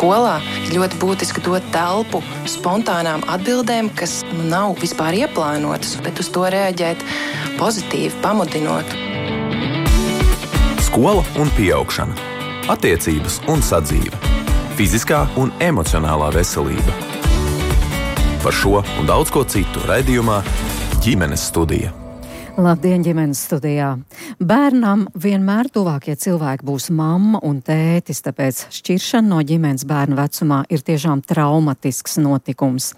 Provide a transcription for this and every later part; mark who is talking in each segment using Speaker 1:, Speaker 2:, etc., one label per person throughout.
Speaker 1: Skolā ir ļoti būtiski dot telpu spontānām atbildēm, kas nav vispār ieplānotas, bet uz to reaģēt pozitīvi, pamudinot.
Speaker 2: Skola un pieaugšana, attiecības un sadzīve, fiziskā un emocionālā veselība. Par šo un daudz ko citu raidījumā Ģimenes studija.
Speaker 3: Labdien, ģimenes studijā! Bērnam vienmēr tuvākie cilvēki būs mamma un tētis, tāpēc šķiršana no ģimenes bērnu vecumā ir tiešām traumatisks notikums.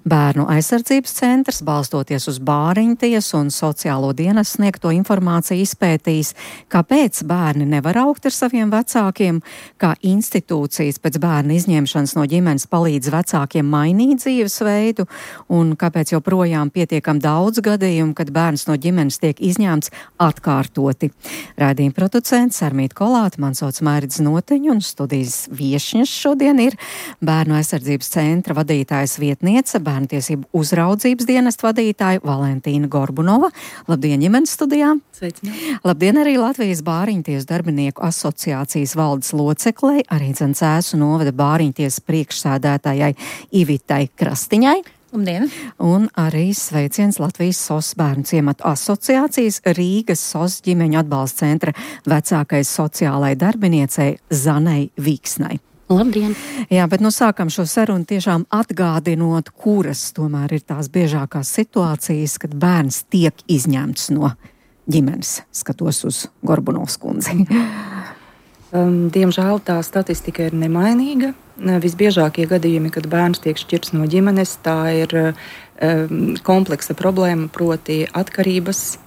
Speaker 3: Bērnu aizsardzības centrs, balstoties uz bāriņtiesu un sociālo dienas sniegto informāciju, izpētīs, kāpēc bērni nevar augt ar saviem vecākiem, kā institūcijas pēc bērna izņemšanas no ģimenes palīdz vecākiem mainīt dzīvesveidu un kāpēc joprojām pietiekam daudz gadījumu, kad bērns no ģimenes tiek izņemts atkārtoti. Raidījuma producents Armīta Kolāte, man sauc Mairidze Noteņa, un studijas viešņas šodien ir Bērnu aizsardzības centra vadītājas vietniece, Bērnu tiesību uzraudzības dienesta vadītāja Valentīna Gorbunova. Labdien, ģimenes studijā!
Speaker 4: Sveicināti!
Speaker 3: Labdien arī Latvijas Bāriņtiesu darbinieku asociācijas valdes loceklei, arī Cēsu novada bāriņtiesas priekšsēdētājai Ivitai Krastiņai.
Speaker 4: Labdien!
Speaker 3: Un arī sveiciens Latvijas SOS bērnu ciematu asociācijas Rīgas SOS ģimeņu atbalsta centra vecākai sociālai darbiniecei Zanei Vīksnai.
Speaker 4: Labdien!
Speaker 3: Jā, bet sākam šo sarunu tiešām atgādinot, kuras tomēr ir tās biežākās situācijas, kad bērns tiek izņemts no ģimenes. Skatos uz Gorbunovas kundzi.
Speaker 4: Diemžēl tā statistika ir nemainīga. Visbiežākie gadījumi, kad bērns tiek šķirts no ģimenes, tā ir kompleksa problēma, proti atkarības,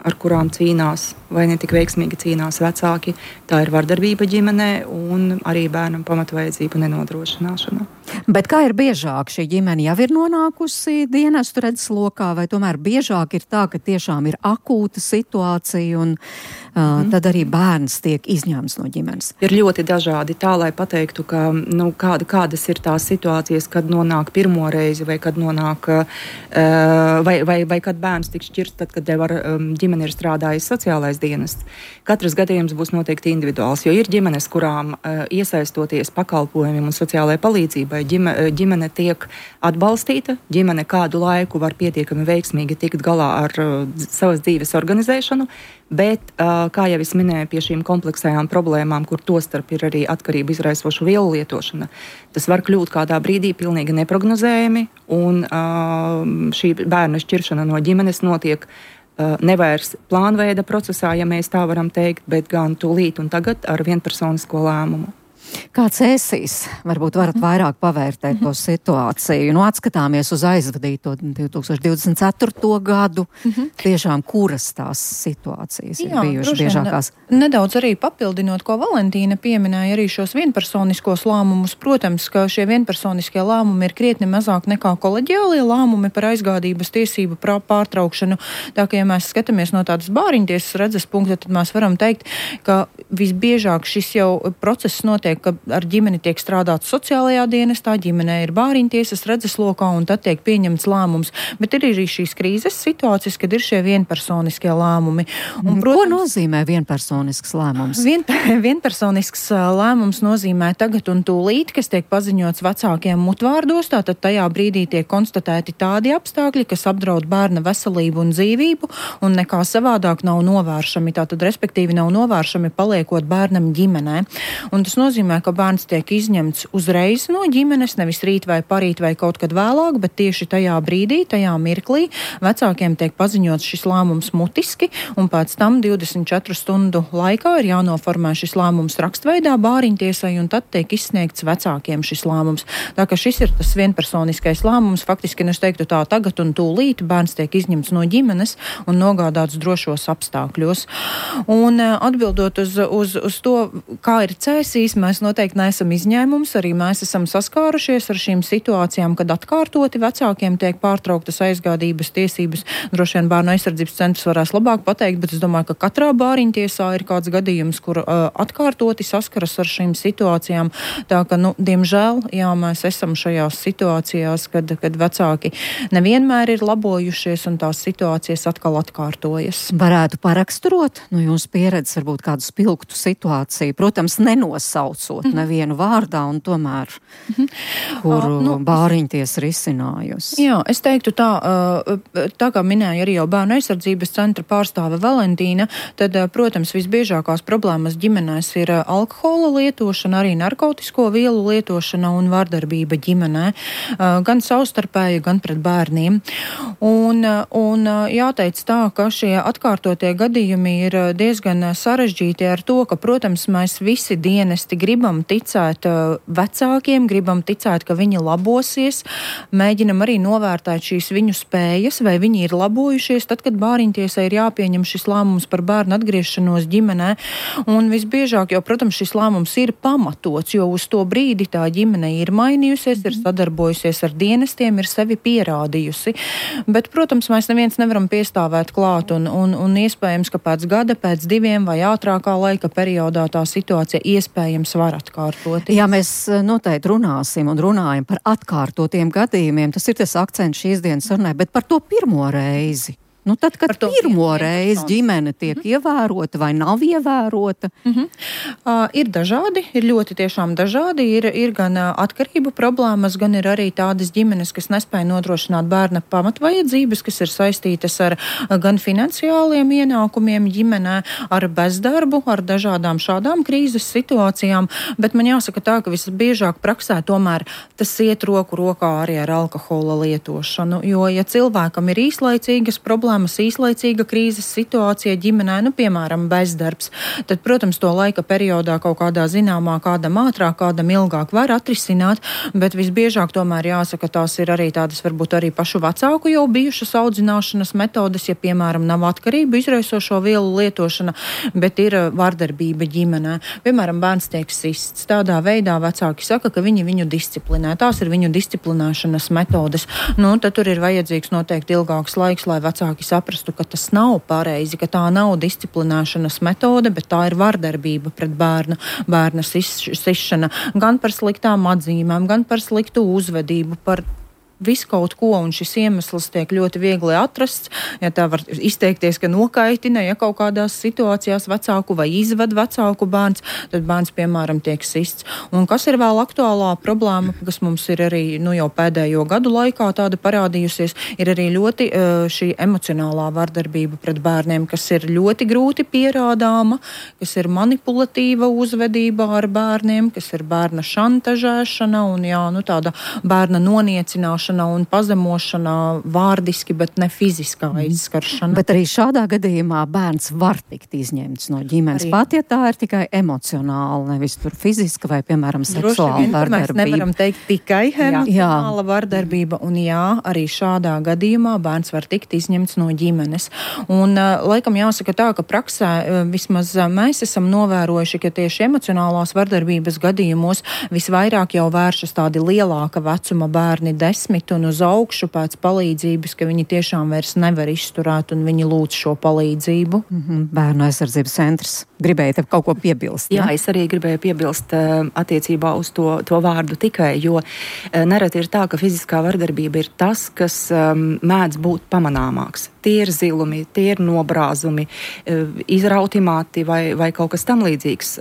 Speaker 4: ar kurām cīnās vai ne tik veiksmīgi cīnās vecāki. Tā ir vardarbība ģimenē un arī bērnam pamatvajadzību nenodrošināšana.
Speaker 3: Bet kā ir biežāk, šī ģimene jau ir nonākusi dienestu redzeslokā, vai tomēr biežāk ir tā, ka tiešām ir akūta situācija un tad arī bērns tiek izņemts no ģimenes?
Speaker 4: Ir ļoti dažādi, tā lai pateiktu, ka kādas ir tās situācijas, kad nonāk pirmo reizi vai kad nonāk vai kad bērns tiks šķirts, tad, kad ģimene ir strādājis sociālais dienests. Katrs gadījums būs noteikti individuāls, jo ir ģimenes, kurām iesaistoties pakalpojumiem un sociālajai palīdzībai, ģimene tiek atbalstīta, ģimene kādu laiku var pietiekami veiksmīgi tikt galā ar savas dzīves organizēšanu, bet, kā jau es minēju, pie šīm kompleksajām problēmām, kur tostarp ir arī atkarību izraisošu vielu lietošana, tas var kļūt kādā brīdī pilnīgi neprognozējami, un šī bērna šķiršana no ģimenes notiek nevairs plānveida procesā, ja mēs tā varam teikt, bet gan tūlīt un tagad ar vienpersonisko lēmumu.
Speaker 3: Kāds ēsīs? Varbūt varat vairāk pavērtēt to situāciju. Atskatāmies uz aizvadīto 2024. gadu. Tiešām, kuras tās situācijas ir bijušas biežākās?
Speaker 5: Nedaudz arī papildinot, ko Valentīna pieminēja, arī šos vienpersoniskos lēmumus. Protams, ka šie vienpersoniskie lēmumi ir krietni mazāk nekā koleģiālie lēmumi par aizgādības tiesību pārtraukšanu. Tā kā, ja mēs skatāmies no tādas bāriņtiesas redzes punkta, tad mēs varam teikt, ka visbiežāk šis jau process notiek, ka ar ģimeni tiek strādāts sociālajā dienestā, ģimenē ir bāriņtiesas redzeslokā un tad tiek pieņemts lēmums. Bet ir arī šīs krīzes situācijas, kad ir šie vienpersoniskie lēmumi. Un, protams,
Speaker 3: ko nozīmē vienpersonisks lēmums?
Speaker 5: Vienpersonisks lēmums nozīmē tagad un tūlīt, kas tiek paziņots vecākiem mutvārdos, tātad tajā brīdī tiek konstatēti tādi apstākļi, kas apdraud bērna veselību un dzīvību un nekā savādāk nav novēršami, tātad respektīvi nav novēršami paliekot bērnam ģimenē. Un tas nozīmē, ka bērns tiek izņemts uzreiz no ģimenes, nevis rīt vai parīt vai kaut kad vēlāk, bet tieši tajā brīdī, tajā mirklī vecākiem tiek paziņots šis lēmums mutiski, un pēc tam 24 stundu laikā ir jānoformē šis lēmums rakstveidā bāriņtiesai, un tad tiek izsniegts vecākiem šis lēmums. Tā ka šis ir tas vienpersoniskais lēmums, faktiski, es teiktu tā, tagad un tūlīt bērns tiek izņemts no ģimenes un nogādāts drošos apstākļos. Un atbildot uz to, kā ir cēsīs, mēs noteikti neesam izņēmums, arī mēs esam saskārušies ar šīm situācijām, kad atkārtoti vecākiem tiek pārtrauktas aizgādības tiesības. Droši vien Bērnu aizsardzības centrs varēs labāk pateikt, bet es domāju, ka katrā bāriņtiesā ir kāds gadījums, kur atkārtoti saskaras ar šīm situācijām. Tā ka, diemžēl, mēs esam šajās situācijās, kad vecāki nevienmēr ir labojušies un tās situācijas atkal atkārtojas.
Speaker 3: Varētu paraksturot no jūsu pieredzes varbūt kādu spilgtu situāciju, protams, nenosaucot nesaucot nevienu vārdā un tomēr, kuru bāriņties risinājusi.
Speaker 5: Jā, es teiktu tā kā minēja arī jau Bērnu aizsardzības centra pārstāve Valentīna, tad, protams, visbiežākās problēmas ģimenēs ir alkohola lietošana, arī narkotisko vielu lietošana un vardarbība ģimenē, gan savstarpēji, gan pret bērniem. Un jāteic tā, ka šie atkārtotie gadījumi ir diezgan sarežģīti ar to, ka, protams, mēs visi dienesti gribam ticēt vecākiem, gribam ticēt, ka viņi labosies, mēģinam arī novērtēt šīs viņu spējas, vai viņi ir labojušies, tad, kad bāriņtiesai ir jāpieņem šis lēmums par bērnu atgriešanos ģimenē. Un visbiežāk jau, protams, šis lēmums ir pamatots, jo uz to brīdi tā ģimene ir mainījusies, ir sadarbojusies ar dienestiem, ir sevi pierādījusi. Bet, protams, mēs neviens nevaram piestāvēt klāt un iespējams, ka pēc gada, pēc 2 vai ātrākā laika periodā tā situācija iespējams var atkārtot.
Speaker 3: Jā, mēs noteikti runāsim un runājam par atkārtotiem gadījumiem. Tas ir tas akcents šīs dienas sarunai, bet par to pirmo reizi. Nu, tad, kad pirmo reizi ģimene tiek ievērota vai nav ievērota?
Speaker 5: Ir dažādi, ir ļoti tiešām dažādi. Ir gan atkarību problēmas, gan ir arī tādas ģimenes, kas nespēja nodrošināt bērna pamatvajadzības, kas ir saistītas ar gan finansiāliem ienākumiem ģimenē, ar bezdarbu, ar dažādām šādām krīzes situācijām. Bet man jāsaka tā, ka visbiežāk praksē tomēr tas iet roku rokā arī ar alkohola lietošanu. Jo, ja cilvēkam ir īslaicīgas problēmas, īslaicīga krīzes situācija ģimenē, piemēram, bezdarbs, tad, protams, to laika periodā kaut kādā zināmā, kādam ātrāk, kādam ilgāk var atrisināt, bet visbiežāk tomēr jāsaka, tās ir arī tādas varbūt arī pašu vecāku jau bijušas audzināšanas metodes, ja, piemēram, nav atkarību izraisošo vielu lietošana, bet ir vardarbība ģimenē. Piemēram, bērns tiek sists. Tādā veidā vecāki saka, ka viņi viņu disciplinē. Tās ir viņu disciplinēšanas metodes. Tad tur ir vajadzīgs noteikti ilgāks laiks, lai vecāki saprastu, ka tas nav pareizi, ka tā nav disciplinēšanas metode, bet tā ir vardarbība pret bērna sišana, gan par sliktām atzīmēm, gan par sliktu uzvedību, par visu kaut ko, un šis iemesls tiek ļoti viegli atrasts, ja tā var izteikties, ka nokaitina, ja kaut kādās situācijās vecāku vai izved vecāku bērns, tad bērns, piemēram, tiek sists. Un kas ir vēl aktuālā problēma, kas mums ir arī jau pēdējo gadu laikā tāda parādījusies, ir arī ļoti šī emocionālā vardarbība pret bērniem, kas ir ļoti grūti pierādāma, kas ir manipulatīva uzvedība ar bērniem, kas ir bērna šantažēšana un tāda bērna noniecināšana un pazemošana vārdiski, bet ne fiziskā aizskaršana.
Speaker 3: Bet arī šādā gadījumā bērns var tikt izņemts no ģimenes, pat ja tā ir tikai emocionāla, nevis tur fiziska vai, piemēram, seksuāla vardarbība.
Speaker 5: Mēs nevaram teikt tikai emocionāla vardarbība, un arī šādā gadījumā bērns var tikt izņemts no ģimenes. Un laikam jāsaka tā, ka praksē vismaz mēs esam novērojuši, ka tieši emocionālās vardarbības gadījumos visvairāk jau vēršas tādi lielāka vecuma bērni, 10 un uz augšu pēc palīdzības, ka viņi tiešām vairs nevar izturēt un viņi lūdz šo palīdzību.
Speaker 3: Bērnu aizsardzības centrs. Gribēja tev kaut ko piebilst?
Speaker 4: Jā, es arī gribēju piebilst attiecībā uz to vārdu tikai, jo nereti ir tā, ka fiziskā vardarbība ir tas, kas mēdz būt pamanāmāks. Tie ir zilumi, tie ir nobrāzumi, izrauti mati vai kaut kas tam līdzīgs,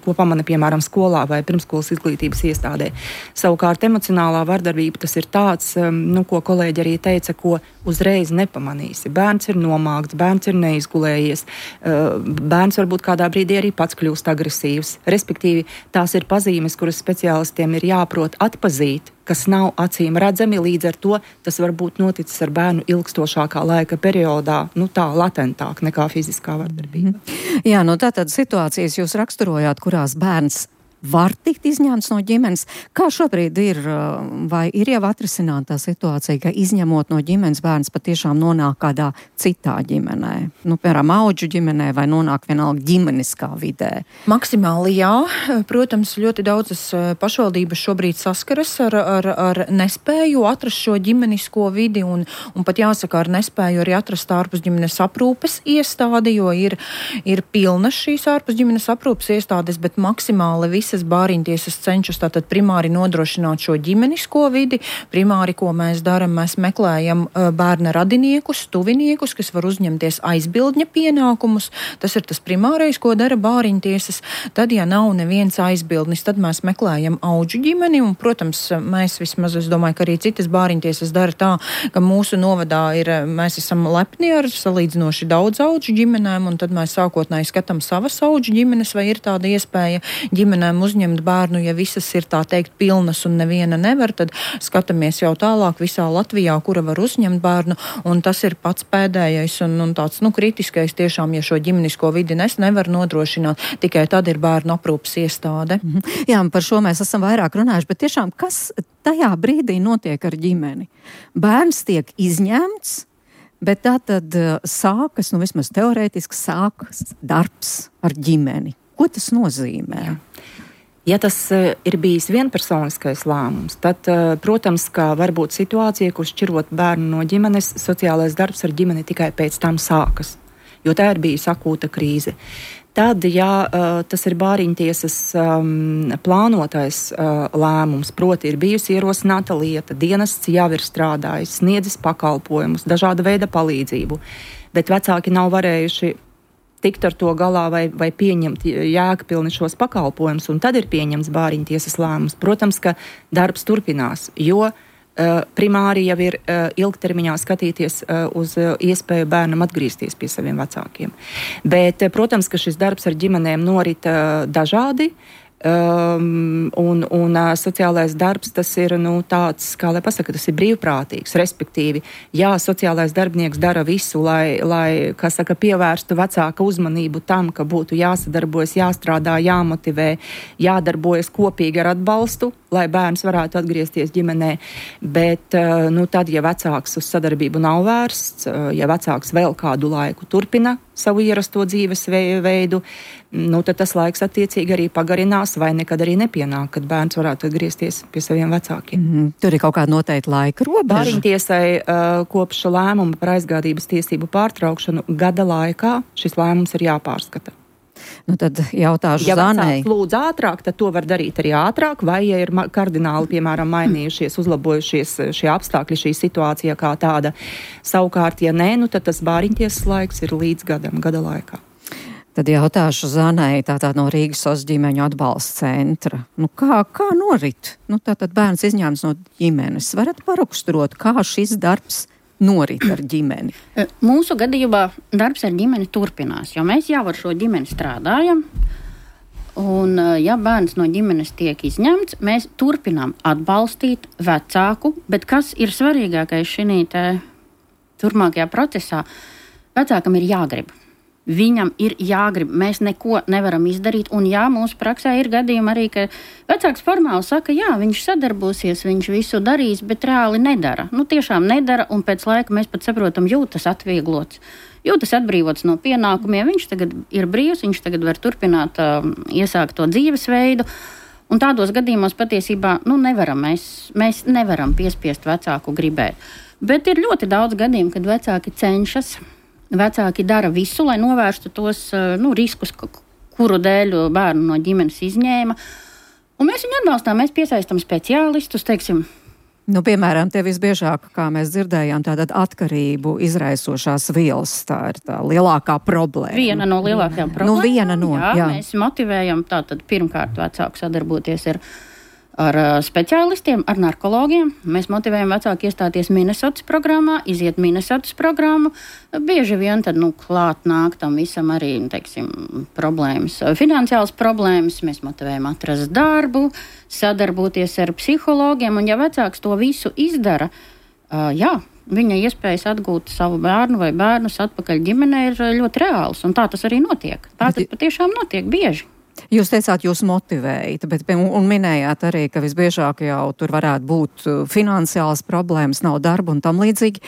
Speaker 4: ko pamana, piemēram, skolā vai pirmskolas izglītības iestādē. Savukārt emocionālā vardarbība tas ir tāds, ko kolēģi arī teica, ko uzreiz nepamanīsi. Bērns ir nomākts, bērns ir neizgulējies, bērns varbūt kādā brīdī arī pats kļūst agresīvs. Respektīvi, tās ir pazīmes, kuras speciālistiem ir jāprot atpazīt, kas nav acīm redzami, līdz ar to tas var būt noticis ar bērnu ilgstošākā laika periodā, tā latentāk nekā fiziskā vardarbība.
Speaker 3: Jā, tātad situācijas jūs raksturojāt, kurās bērns var tikt izņemts no ģimenes. Kā šobrīd ir, vai ir jau atrisināta tā situācija, ka izņemot no ģimenes bērns patiešām nonāk kādā citā ģimenē? Piemēram, audžu ģimenē vai nonāk vienalga ģimeniskā vidē?
Speaker 5: Maksimāli jā. Protams, ļoti daudzas pašvaldības šobrīd saskaras ar nespēju atrast šo ģimenisko vidi un pat jāsaka ar nespēju arī atrast ārpus ģimenes aprūpes iestādi, jo ir pilnas šīs ārpus ģimenes aprūpes iestādes, bet maksimāli visi visas bāriņtiesas cenšas tātad primāri nodrošināt šo ģimenisko vidi. Primāri, ko mēs darām, mēs meklējam bērna radiniekus, tuviniekus, kas var uzņemties aizbildņa pienākumus. Tas ir tas primārais, ko dara bāriņtiesas. Tad, ja nav neviens aizbildnis, tad mēs meklējam audžu ģimeni, un, protams, mēs vismaz, es domāju, ka arī citas bāriņtiesas dara tā, ka mūsu novadā mēs esam lepni ar salīdzinoši daudz audžu ģimenēm, un tad mēs sākotnēji skatām savas audžu ģimenes, vai ir tāda iespēja ģimenēm uzņemt bērnu, ja visas ir tā teikt pilnas un neviena nevar, tad skatāmies jau tālāk visā Latvijā, kura var uzņemt bērnu, un tas ir pats pēdējais un tāds, kritiskais tiešām, ja šo ģimenisko vidi nevar nodrošināt, tikai tad ir bērnu aprūpas iestāde.
Speaker 3: Jā, par šo mēs esam vairāk runājuši, bet tiešām, kas tajā brīdī notiek ar ģimeni? Bērns tiek izņemts, bet tā tad sākas, vismaz teorētiski sākas darbs ar ģimeni. Ko tas nozīmē?
Speaker 4: Jā. Ja tas ir bijis vienpersoniskais lēmums, tad, protams, ka var būt situācija, kur šķirot bērnu no ģimenes, sociālais darbs ar ģimeni tikai pēc tam sākas, jo tā ir bijusi akūta krīze. Tad, ja tas ir bāriņtiesas plānotais lēmums, proti ir bijusi ierosināta lieta, dienests jau ir strādājis, sniedzis pakalpojumus, dažāda veida palīdzību, bet vecāki nav varējuši tikt ar to galā vai pieņemt jēgpilni šos pakalpojumus, un tad ir pieņemts bāriņtiesas lēmums. Protams, ka darbs turpinās, jo primāri jau ir ilgtermiņā skatīties uz iespēju bērnam atgriezties pie saviem vecākiem. Bet, protams, ka šis darbs ar ģimenēm norit dažādi, un sociālais darbs tas ir tāds, kā lai pasaka, tas ir brīvprātīgs, respektīvi, jā, sociālais darbinieks dara visu, lai kā saka, pievērstu vecāka uzmanību tam, ka būtu jāsadarbojas, jāstrādā, jāmotivē, jādarbojas kopīgi ar atbalstu, lai bērns varētu atgriezties ģimenē, bet tad, ja vecāks uz sadarbību nav vērsts, ja vecāks vēl kādu laiku turpina savu ierasto dzīves veidu, tad tas laiks attiecīgi arī pagarinās vai nekad arī nepienāk, kad bērns varētu atgriezties pie saviem vecākiem.
Speaker 3: Tur ir kaut kāda noteikta laika robeža.
Speaker 4: Bāriņtiesai kopš lēmuma par aizgādības tiesību pārtraukšanu gada laikā šis lēmums ir jāpārskata.
Speaker 3: Tad jautāšu
Speaker 4: ja
Speaker 3: Zanei.
Speaker 4: Ja lūdz ātrāk, tad to var darīt arī ātrāk, vai ja ir kardināli, piemēram, mainījušies, uzlabojušies šie apstākļi, šī situācija kā tāda. Savukārt, ja nē, tad tas bāriņtiesas laiks ir līdz gada laikā.
Speaker 3: Tad jautāšu Zanei, tātad no Rīgas SOS ģimeņu atbalsta centra. Kā norit? Tātad bērns izņēmts no ģimenes. Varat paraksturot, kā šis darbs norit ar ģimeni?
Speaker 6: Mūsu gadījumā darbs ar ģimeni turpinās, jo mēs jau ar šo ģimeni strādājam. Un, ja bērns no ģimenes tiek izņemts, mēs turpinām atbalstīt vecāku, bet kas ir svarīgākais šī turpmākajā procesā? Vecākam ir jāgrib. Viņam ir jāgrib, mēs neko nevaram izdarīt, un jā, mūsu praksē ir gadījumi arī, ka vecāks formāli saka, jā, viņš sadarbosies, viņš visu darīs, bet reāli nedara. Tiešām nedara, un pēc laika mēs pat saprotam, jūtas atvieglots, jūtas atbrīvots no pienākumiem, viņš tagad ir brīvs, viņš tagad var turpināt iesākt to dzīvesveidu, un tādos gadījumos patiesībā, nevaram, mēs nevaram piespiest vecāku gribēt. Bet ir ļoti daudz gadījumu, kad vecāki cenšas. Vecāki dara visu, lai novērstu tos riskus, kuru dēļ bērnu no ģimenes izņēma. Un mēs viņu atbalstām, mēs piesaistam speciālistus, teiksim.
Speaker 3: Piemēram, te visbiežāk, kā mēs dzirdējām, tātad atkarību izraisošās vielas, tā ir tā lielākā problēma.
Speaker 6: Viena no lielākajām problēmām.
Speaker 3: Jā.
Speaker 6: Mēs motivējam tātad pirmkārt vecāku sadarboties ar speciālistiem, ar narkologiem. Mēs motivējam vecāku iestāties Minnesotas programmā, iziet Minnesotas programmu. Bieži vien tad, klāt nāk tam visam arī, problēmas, finansiāls problēmas. Mēs motivējam atrast darbu, sadarboties ar psihologiem, un ja vecāks to visu izdara, viņa iespējas atgūt savu bērnu vai bērnus atpakaļ ģimenē ir ļoti reāls, un tā tas arī notiek. Tā tas patiešām notiek bieži.
Speaker 3: Jūs teicāt, jūs motivējat, un minējāt arī, ka visbiežāk jau tur varētu būt finansiālas problēmas, nav darba un tam līdzīgi.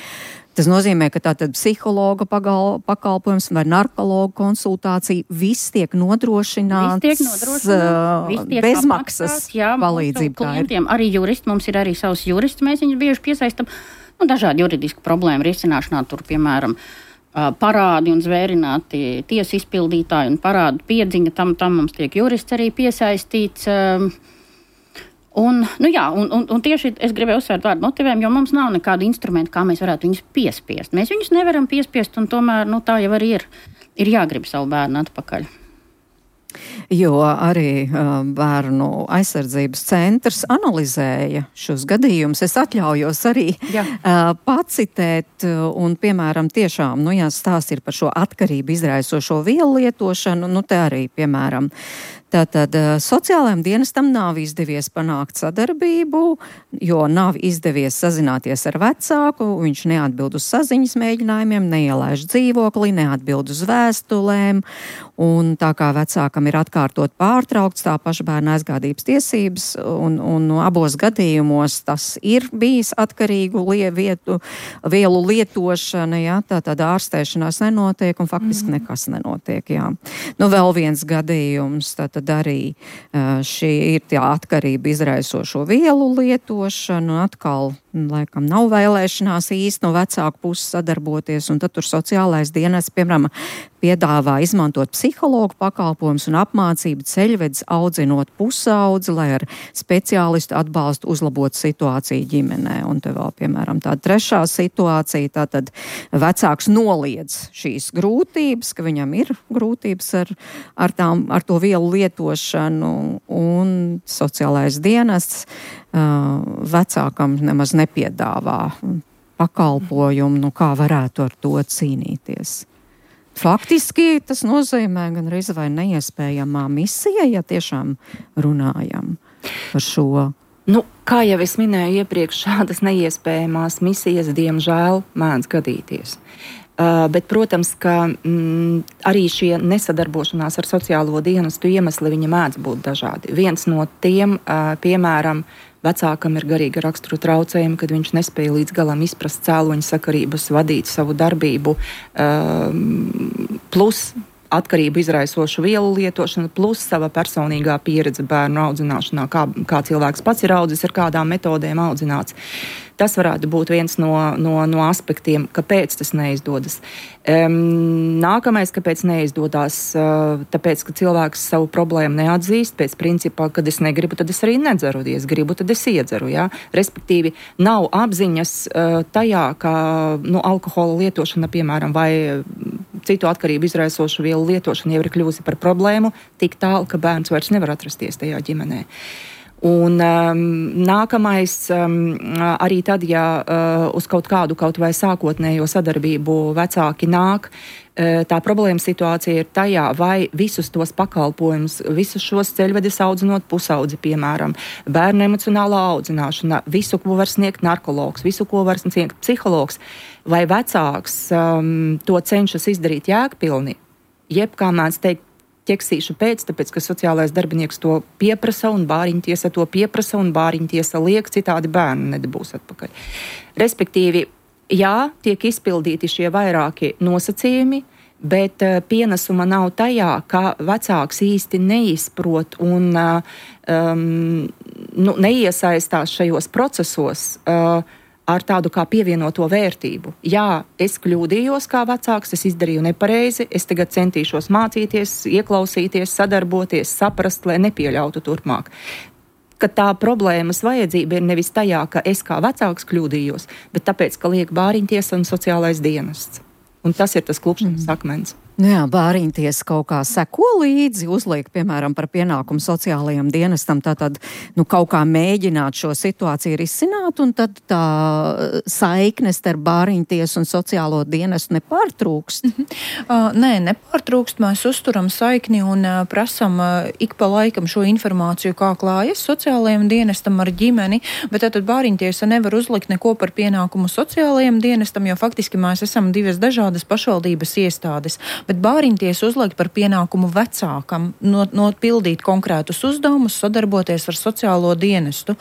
Speaker 3: Tas nozīmē, ka tātad psihologa pakalpojums vai narkologa konsultācija viss tiek nodrošināts bezmaksas palīdzību.
Speaker 6: Klientiem arī juristi, mums ir arī savs jurists, mēs viņus bieži piesaistam dažādu juridisku problēmu risināšanā, tur, piemēram, parādi un zvērināti tiesu izpildītāji un parādu piedziņa, tam mums tiek jurists arī piesaistīts. Un tieši es gribēju uzsvērt vārdu motivējam, jo mums nav nekādu instrumentu, kā mēs varētu viņus piespiest. Mēs viņus nevaram piespiest, un tomēr tā jau arī ir jāgrib savu bērnu atpakaļ.
Speaker 3: Jo arī bērnu aizsardzības centrs analizēja šos gadījumus. Es atļaujos arī pacitēt un, piemēram, tiešām, ja stāsts ir par šo atkarību izraisošo vielu lietošanu, te arī, piemēram, tātad sociālajiem dienestam nav izdevies panākt sadarbību, jo nav izdevies sazināties ar vecāku, viņš neatbild uz saziņas mēģinājumiem, neielaiž dzīvoklī, neatbild uz vēstulēm, un tā kā vecākam ir atkārtot pārtraukts tā paša bērna aizgādības tiesības, un abos gadījumos tas ir bijis atkarīgu vielu lietošana, tātad ārstēšanās nenotiek, un faktiski nekas nenotiek, vēl viens gadījums, tātad arī šī ir tā atkarība izraisošo vielu lietošana, atkal, laikam, nav vēlēšanās īsti no vecāku puses sadarboties, un tad tur sociālais dienests, piemēram, piedāvā izmantot psihologu pakalpojumus un apmācību ceļvedis audzinot pusaudzi, lai ar speciālistu atbalstu uzlabotu situāciju ģimenē. Un te vēl, piemēram, tāda trešā situācija, tātad vecāks noliedz šīs grūtības, ka viņam ir grūtības ar to vielu lietošanu, un sociālais dienests vecākam nemaz nepiedāvā pakalpojumu, kā varētu ar to cīnīties. Faktiski tas nozīmē gan reiz vai neiespējamā misija, ja tiešām runājam par šo.
Speaker 4: Kā jau es minēju iepriekš, šādas neiespējamās misijas, diemžēl, mēdz gadīties. Bet, protams, ka arī šie nesadarbošanās ar sociālo dienestu iemesli viņa mēdz būt dažādi. Viens no tiem, piemēram, vecākam ir garīga rakstura traucējumi, kad viņš nespēja līdz galam izprast cēloņu sakarības, vadīt savu darbību, plus atkarību izraisošu vielu lietošana, plus sava personīgā pieredze bērnu audzināšanā, kā cilvēks pats ir audzis, ar kādām metodēm audzināts. Tas varētu būt viens no aspektiem, kāpēc tas neizdodas. Nākamais, kāpēc neizdodas, tāpēc, ka cilvēks savu problēmu neatzīst, pēc principā, kad es negribu, tad es arī nedzeru, ja es gribu, tad es iedzeru. Ja? Respektīvi, nav apziņas tajā, ka alkohola lietošana, piemēram, vai citu atkarību izraisošu vielu lietošana jau ir kļūsi par problēmu tik tālu, ka bērns vairs nevar atrasties tajā ģimenē. Un nākamais arī tad, ja uz kaut vai sākotnējo sadarbību vecāki nāk, tā problēma situācija ir tajā, vai visus tos pakalpojumus, visus šos ceļvedis audzinot pusaudzi, piemēram, bērnu emocionālā audzināšana, visu, ko var sniegt narkologs, visu, ko var sniegt psihologs, vai vecāks to cenšas izdarīt jēgpilni, jeb, kā mēdz teikt, ķeksīšu tāpēc, ka sociālais darbinieks to pieprasa un bāriņtiesa to pieprasa un bāriņtiesa liek, citādi bērnu nedabūs atpakaļ. Respektīvi, jā, tiek izpildīti šie vairāki nosacījumi, bet pienesuma nav tajā, ka vecāks īsti neizprot un neiesaistās šajos procesos, ar tādu kā pievienoto vērtību. Jā, es kļūdījos kā vecāks, es izdarīju nepareizi, es tagad centīšos mācīties, ieklausīties, sadarboties, saprast, lai nepieļautu turpmāk. Ka tā problēmas vajadzība ir nevis tajā, ka es kā vecāks kļūdījos, bet tāpēc, ka liek bāriņtiesa un sociālais dienests. Un tas ir tas klupšanas akmens.
Speaker 3: Jā, bāriņtiesa kaut kā seko līdzi, uzliek, piemēram, par pienākumu sociālajiem dienestam, tātad, kaut kā mēģināt šo situāciju risināt, un tad tā saiknes starp bāriņtiesu un sociālo dienestu nepārtrūkst?
Speaker 5: Nē, nepārtrūkst, mēs uzturam saikni un prasam ik pa laikam šo informāciju, kā klājas sociālajiem dienestam ar ģimeni, bet tad bāriņtiesa nevar uzlikt neko par pienākumu sociālajiem dienestam, jo faktiski mēs esam divas dažādas pašvaldības iestādes. bet bāriņtiesa uzliek par pienākumu vecākam nopildīt konkrētus uzdevumus, sadarboties ar sociālo dienestu.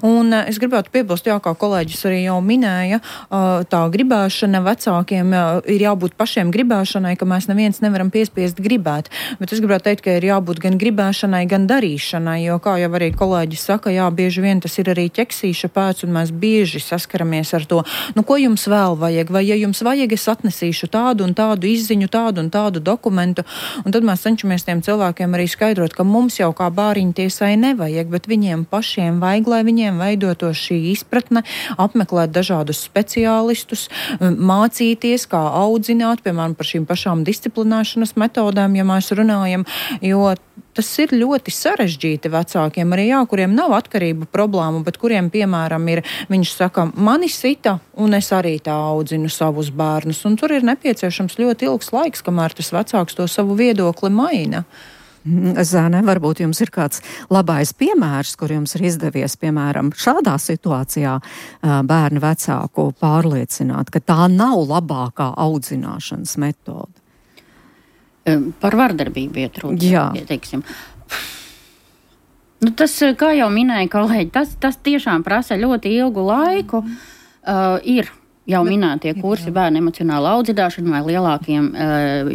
Speaker 5: Un es gribētu piebilst, kā kolēģis arī jau minēja, tā gribēšana vecākiem ir jābūt pašiem gribēšanai, ka mēs neviens nevaram piespiest gribēt. Bet es gribētu teikt, ka ir jābūt gan gribēšanai, gan darīšanai, jo, kā jau arī kolēģis saka, bieži vien tas ir arī ķeksīša pēc, un mēs bieži saskaramies ar to, ko jums vēl vajag, vai ja jums vajag, es atnesīšu tādu un tādu izziņu, tādu un tādu dokumentu, un tad mēs cenšamies tiem cilvēkiem arī skaidrot, ka mums jau kā bāriņtiesai nevajag, bet viņiem pašiem vajag, lai viņiem veidotos šī izpratne, apmeklēt dažādus speciālistus, mācīties, kā audzināt, piemēram, par šīm pašām disciplinēšanas metodēm, ja mēs runājam, jo tas ir ļoti sarežģīti vecākiem, arī kuriem nav atkarību problēmu, bet kuriem, piemēram, viņš saka, mani sita, un es arī tā audzinu savus bērnus, un tur ir nepieciešams ļoti ilgs laiks, kamēr tas vecāks to savu viedokli maina.
Speaker 3: Zane, varbūt jums ir kāds labais piemērs, kur jums ir izdevies, piemēram, šādā situācijā bērnu vecāku pārliecināt, ka tā nav labākā audzināšanas metode.
Speaker 6: Par vardarbību iet runa, teiksim. Tas, kā jau minēja kolēģi, tas tiešām prasa ļoti ilgu laiku. Ir jau minētie kursi bērnu emocionāla audzināšana vai lielākiem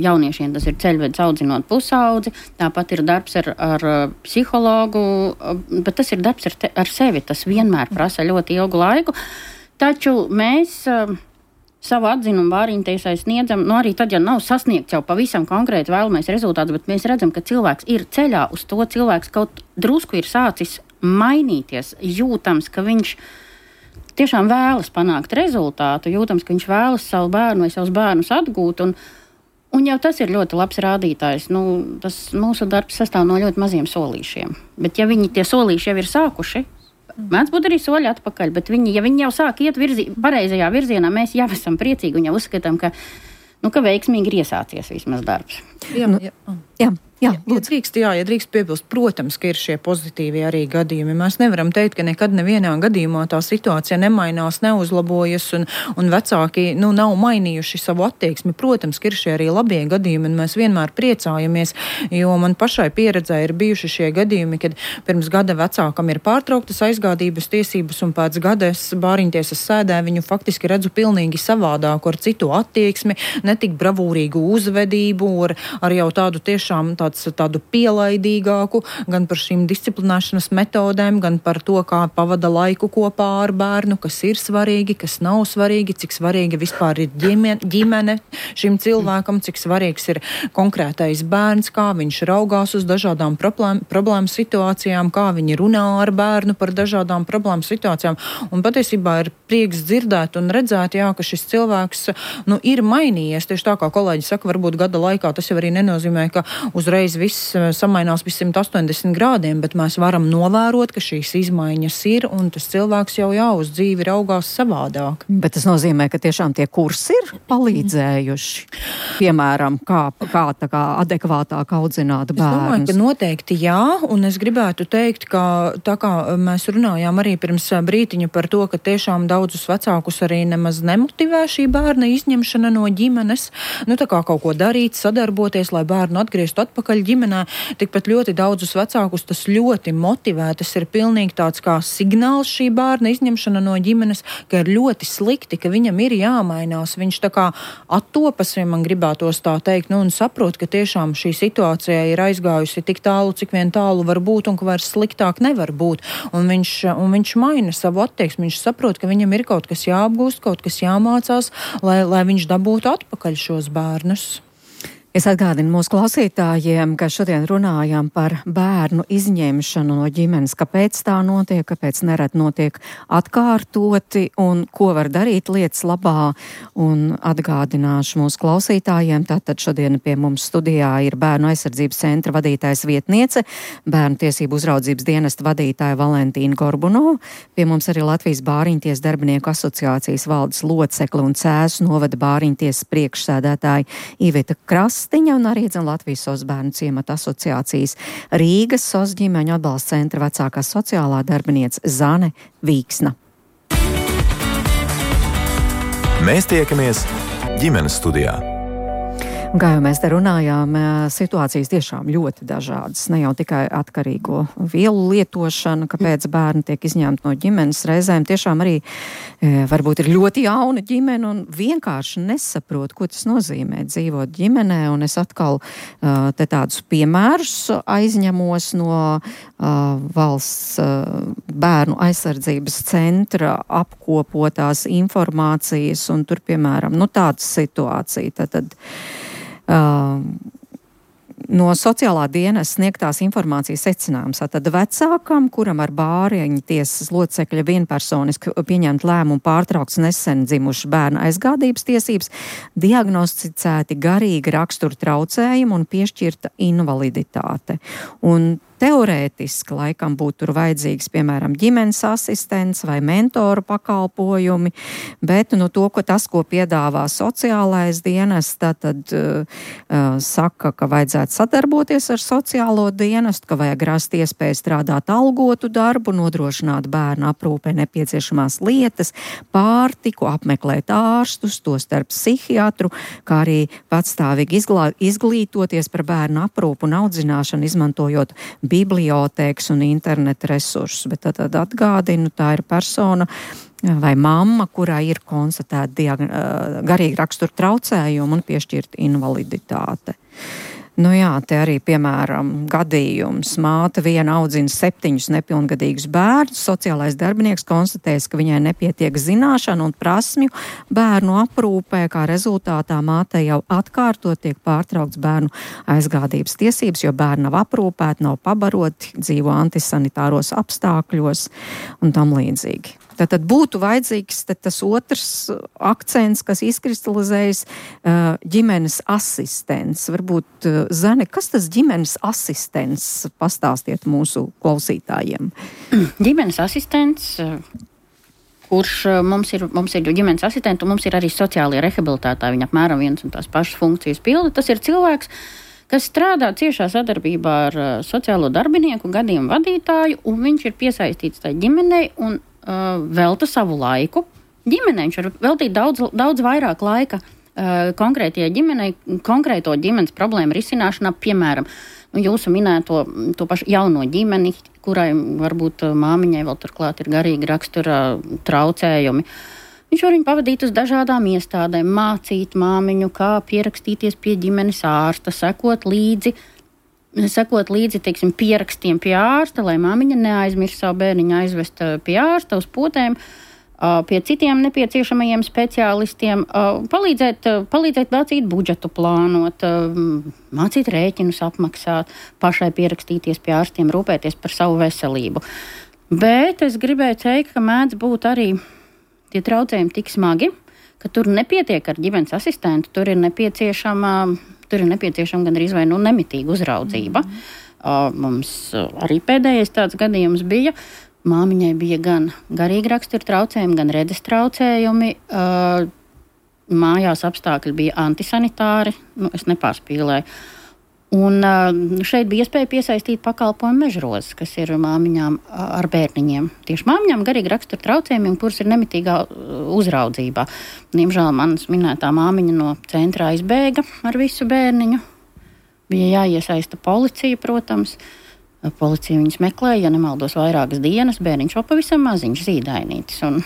Speaker 6: jauniešiem, tas ir ceļvedis audzinot pusaudzi. Tāpat ir darbs ar psihologu, bet tas ir darbs ar sevi. Tas vienmēr prasa ļoti ilgu laiku. Taču mēs savu atzinumu bāriņtiesai sniedzam, arī tad, ja nav sasniegts jau pavisam konkrēti vēlamais rezultāts, bet mēs redzam, ka cilvēks ir ceļā uz to, cilvēks kaut drusku ir sācis mainīties, jūtams, ka viņš tiešām vēlas panākt rezultātu, jūtams, ka viņš vēlas savu bērnu vai savus bērnus atgūt, un jau tas ir ļoti labs rādītājs. Tas mūsu darbs sastāv no ļoti maziem solīšiem, bet ja tie solīši jau ir sākuši, mēdz būt arī soļi atpakaļ, bet ja viņi jau sāk iet pareizajā virzienā, mēs jau esam priecīgi un jau uzskatām, ka veiksmīgi ir iesācies vismaz darbs.
Speaker 5: Ja drīkst piebilst, protams, ka ir šie pozitīvie arī gadījumi. Mēs nevaram teikt, ka nekad nevienā gadījumā tā situācija nemainās, neuzlabojas un vecāki nav mainījuši savu attieksmi. Protams, ka ir šie arī labie gadījumi, un mēs vienmēr priecājamies, jo man pašai pieredzē ir bijuši šie gadījumi, kad pirms gada vecākam ir pārtrauktas aizgādības tiesības, un pēc gada es bāriņtiesas sēdē viņu faktiski redzu pilnīgi savādāku, ar citu attieksmi, netik bravūrīgu uzvedību, ar jau tādu tiešām tādu pielaidīgāku, gan par šīm disciplinēšanas metodēm, gan par to, kā pavada laiku kopā ar bērnu, kas ir svarīgi, kas nav svarīgi, cik svarīgi vispār ir ģimene šim cilvēkam, cik svarīgs ir konkrētais bērns, kā viņš raugās uz dažādām problēmu situācijām, kā viņi runā ar bērnu par dažādām problēmu situācijām. Un patiesībā ir prieks dzirdēt un redzēt, ka šis cilvēks ir mainījies. Tieši tā kā kolēģi saka, varbūt gada laikā tas jau arī nenozīmē, ka uzreiz viss samainās pie 180 grādiem, bet mēs varam novērot, ka šīs izmaiņas ir, un tas cilvēks jau uz dzīvi raugās savādāk.
Speaker 3: Bet tas nozīmē, ka tiešām tie kursi ir palīdzējuši, piemēram, kā adekvātāk audzināt bērnus.
Speaker 5: Es domāju, ka noteikti un es gribētu teikt, ka tā kā mēs runājām arī pirms brītiņa par to, ka tiešām daudzus vecākus arī nemaz nemotivē šī bērna izņemšana no ģimenes, tā kā kaut ko darīt, sadarboties, lai bērnu atgrieztu atpakaļ ģimenē, tikpat ļoti daudzus vecākus tas ļoti motivē. Tas ir pilnīgi tāds kā signāls šī bērna izņemšana no ģimenes, ka ir ļoti slikti, ka viņam ir jāmainās. Viņš tā kā attopas, ja man gribētos tā teikt, un saprot, ka tiešām šī situācija ir aizgājusi tik tālu, cik vien tālu var būt, un ka vairs sliktāk nevar būt. Un viņš maina savu attieksmi. Viņš saprot, ka viņam ir kaut kas jāapgūst, kaut kas jāmācās, lai viņš dabūtu atpakaļ šos bērnus.
Speaker 3: Es atgādinu mūsu klausītājiem, ka šodien runājam par bērnu izņemšanu no ģimenes, kāpēc tā notiek, kāpēc nerad notiek atkārtoti un ko var darīt lietas labā. Un atgādināšu mūsu klausītājiem, tātad šodien pie mums studijā ir Bērnu aizsardzības centra vadītājs vietniece, Bērnu tiesību uzraudzības dienesta vadītāja Valentīna Gorbunova, pie mums arī Latvijas Bāriņtiesas darbinieku asociācijas valdes locekle un Cēsu novada Bāriņtiesas priekšsēdētāja Iveta Krasta un arī Latvijas SOS bērnu ciemata asociācijas Rīgas SOS ģimeņu atbalsta centra vecākā sociālā darbiniece Zane Vīksna.
Speaker 2: Mēs tiekamies ģimenes studijā.
Speaker 3: Kā jau mēs te runājām, situācijas tiešām ļoti dažādas. Ne jau tikai atkarīgo vielu lietošana, kāpēc bērni tiek izņemti no ģimenes. Reizēm tiešām arī varbūt ir ļoti jauna ģimene un vienkārši nesaprot, ko tas nozīmē dzīvot ģimenē. Un es atkal te tādus piemērus aizņemos no valsts bērnu aizsardzības centra apkopotās informācijas un tur, piemēram, tāda situācija. Tad no sociālā dienas sniegtās informācijas secinājums. Tad vecākam, kuram ar bāriņu tiesas locekļa vienpersoniski pieņemt lēmumu pārtraukts nesen dzimuši bērnu aizgādības tiesības, diagnosticēti garīgi rakstura traucējumi un piešķirta invaliditāte. Un teorētiski laikam būtu tur vajadzīgs, piemēram, ģimenes asistents vai mentoru pakalpojumi, bet ko piedāvā sociālais dienests, tad saka, ka vajadzētu sadarboties ar sociālo dienestu, ka vajag rast iespēju strādāt algotu darbu, nodrošināt bērnu aprūpē nepieciešamās lietas, pārtiku, apmeklēt ārstus, tostarp psihiatru, kā arī patstāvīgi izglītoties par bērnu aprūpu un audzināšanu, izmantojot bibliotēkas un interneta resursus, bet tad atgādinu, tā ir persona vai mamma, kurā ir konstatēta garīgi rakstura traucējumi un piešķirta invaliditāte. Te arī, piemēram, gadījums. Māte viena audzina 7 nepilngadīgus bērnus. Sociālais darbinieks konstatēs, ka viņai nepietiek zināšanu un prasmju bērnu aprūpē, kā rezultātā mātei jau atkārtot tiek pārtraukts bērnu aizgādības tiesības, jo bērni nav aprūpēti, nav pabaroti, dzīvo antisanitāros apstākļos un tam līdzīgi. Tad būtu vajadzīgs tas otrs akcents, kas izkristalizējas ģimenes asistents. Varbūt, Zane, kas tas ģimenes asistents? Pastāstiet mūsu klausītājiem.
Speaker 6: Ģimenes asistents, kurš mums ir ģimenes asistents, un mums ir arī sociālie rehabilitētāji. Viņi apmēram vienas un tās pašas funkcijas pilda. Tas ir cilvēks, kas strādā ciešā sadarbībā ar sociālo darbinieku, gadījumu vadītāju, un viņš ir piesaistīts tai ģimenei un velta savu laiku. Ģimenei viņš var veltīt daudz vairāk laika konkrētajai ģimenei, konkrēto ģimenes problēmu risināšanā, piemēram, jūsu minēto to pašu jauno ģimeni, kurai varbūt māmiņai vēl turklāt ir garīgi rakstura traucējumi. Viņš var viņu pavadīt uz dažādām iestādēm, mācīt māmiņu, kā pierakstīties pie ģimenes ārsta, sekot līdzi, teiksim, pierakstiem pie ārsta, lai māmiņa neaizmirst savu bērniņu aizvest pie ārsta uz potēm, pie citiem nepieciešamajiem speciālistiem, palīdzēt mācīt budžetu plānot, mācīt rēķinus apmaksāt, pašai pierakstīties pie ārstiem, rūpēties par savu veselību. Bet es gribēju teikt, ka mēdz būt arī tie traucējumi tik smagi, ka tur nepietiek ar ģimenes asistentu, tur ir nepieciešama gandrīz vai nemitīga uzraudzība. Mums arī pēdējais tāds gadījums bija. Māmiņai bija gan garīgi rakstura traucējumi, gan redzes traucējumi. Mājās apstākļi bija antisanitāri, es nepārspīlēju. Un šeit bija iespēja piesaistīt pakalpojumu Mežrozes, kas ir māmiņām ar bērniņiem. Tieši māmiņām garīgi rakstura traucējumiem, kuras ir nemitīgā uzraudzībā. Diemžēl manas minētā māmiņa no centrā izbēga ar visu bērniņu. Bija jāiesaista policija, protams. Policija viņus meklēja, ja nemaldos vairākas dienas, bērniņš vēl pavisam maziņš zīdainītis. Un,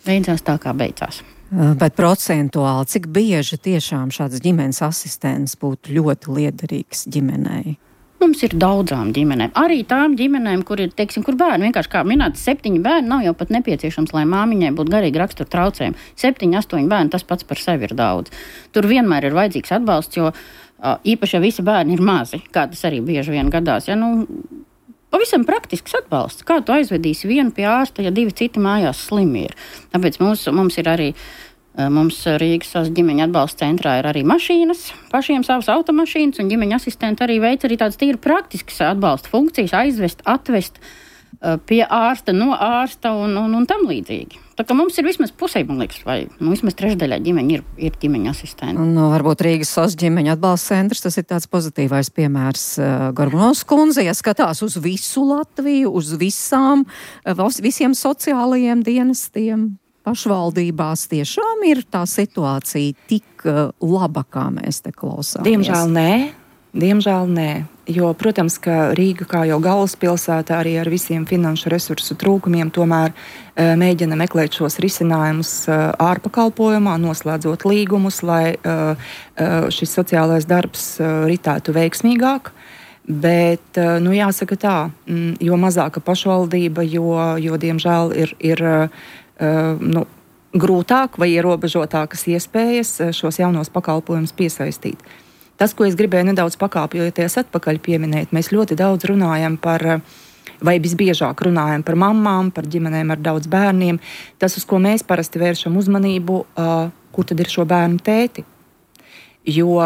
Speaker 6: beidzās tā, kā beidzās.
Speaker 3: Bet procentuāli, cik bieži tiešām šāds ģimenes asistents būtu ļoti liederīgs ģimenei?
Speaker 6: Mums ir daudzām ģimenēm. Arī tām ģimenēm, kur ir, kur bērni, vienkārši kā minēts, 7 bērni, nav jau pat nepieciešams, lai māmiņai būtu garīgi rakstura traucējumi. 7, 8 bērni, tas pats par sevi ir daudz. Tur vienmēr ir vajadzīgs atbalsts, jo īpaši, ja visi bērni ir mazi, kā tas arī bieži vien gadās, pavisam praktisks atbalsts. Kā tu aizvedīsi vienu pie ārsta, ja 2 citi mājās slimi ir? Tāpēc mums ir arī, mums Rīgas ģimeņa atbalsta centrā ir arī mašīnas, pašiem savas automašīnas, un ģimeņa asistenti arī veic arī tādas tīri praktiskas atbalsta funkcijas, aizvest, atvest pie ārsta, no ārsta un tam līdzīgi. Tā kā mums ir vismaz pusē, man liekas, vai vismaz trešdaļā ģimeņa ir ģimeņa asistenti.
Speaker 3: Varbūt Rīgas SOS ģimeņa atbalsta centrs, tas ir tāds pozitīvais piemērs. Gorbunovs kundze, ja skatās uz visu Latviju, uz visiem sociālajiem dienestiem. pašvaldībās tiešām ir tā situācija tik laba, kā mēs te klausāmies?
Speaker 4: Diemžēl nē. Jo, protams, ka Rīga, kā jau galvaspilsēta, arī ar visiem finanšu resursu trūkumiem, tomēr mēģina meklēt šos risinājumus ārpakalpojumā, noslēdzot līgumus, lai šis sociālais darbs ritētu veiksmīgāk. Bet, jāsaka tā, jo mazāka pašvaldība, jo diemžēl ir grūtāk vai ierobežotākas iespējas šos jaunos pakalpojumus piesaistīt. Tas, ko es gribēju nedaudz pakāpjoties atpakaļ pieminēt, mēs ļoti daudz runājam par, vai visbiežāk runājam par mammām, par ģimenēm ar daudz bērniem. Tas, uz ko mēs parasti vēršam uzmanību, kur tad ir šo bērnu tēti. Jo,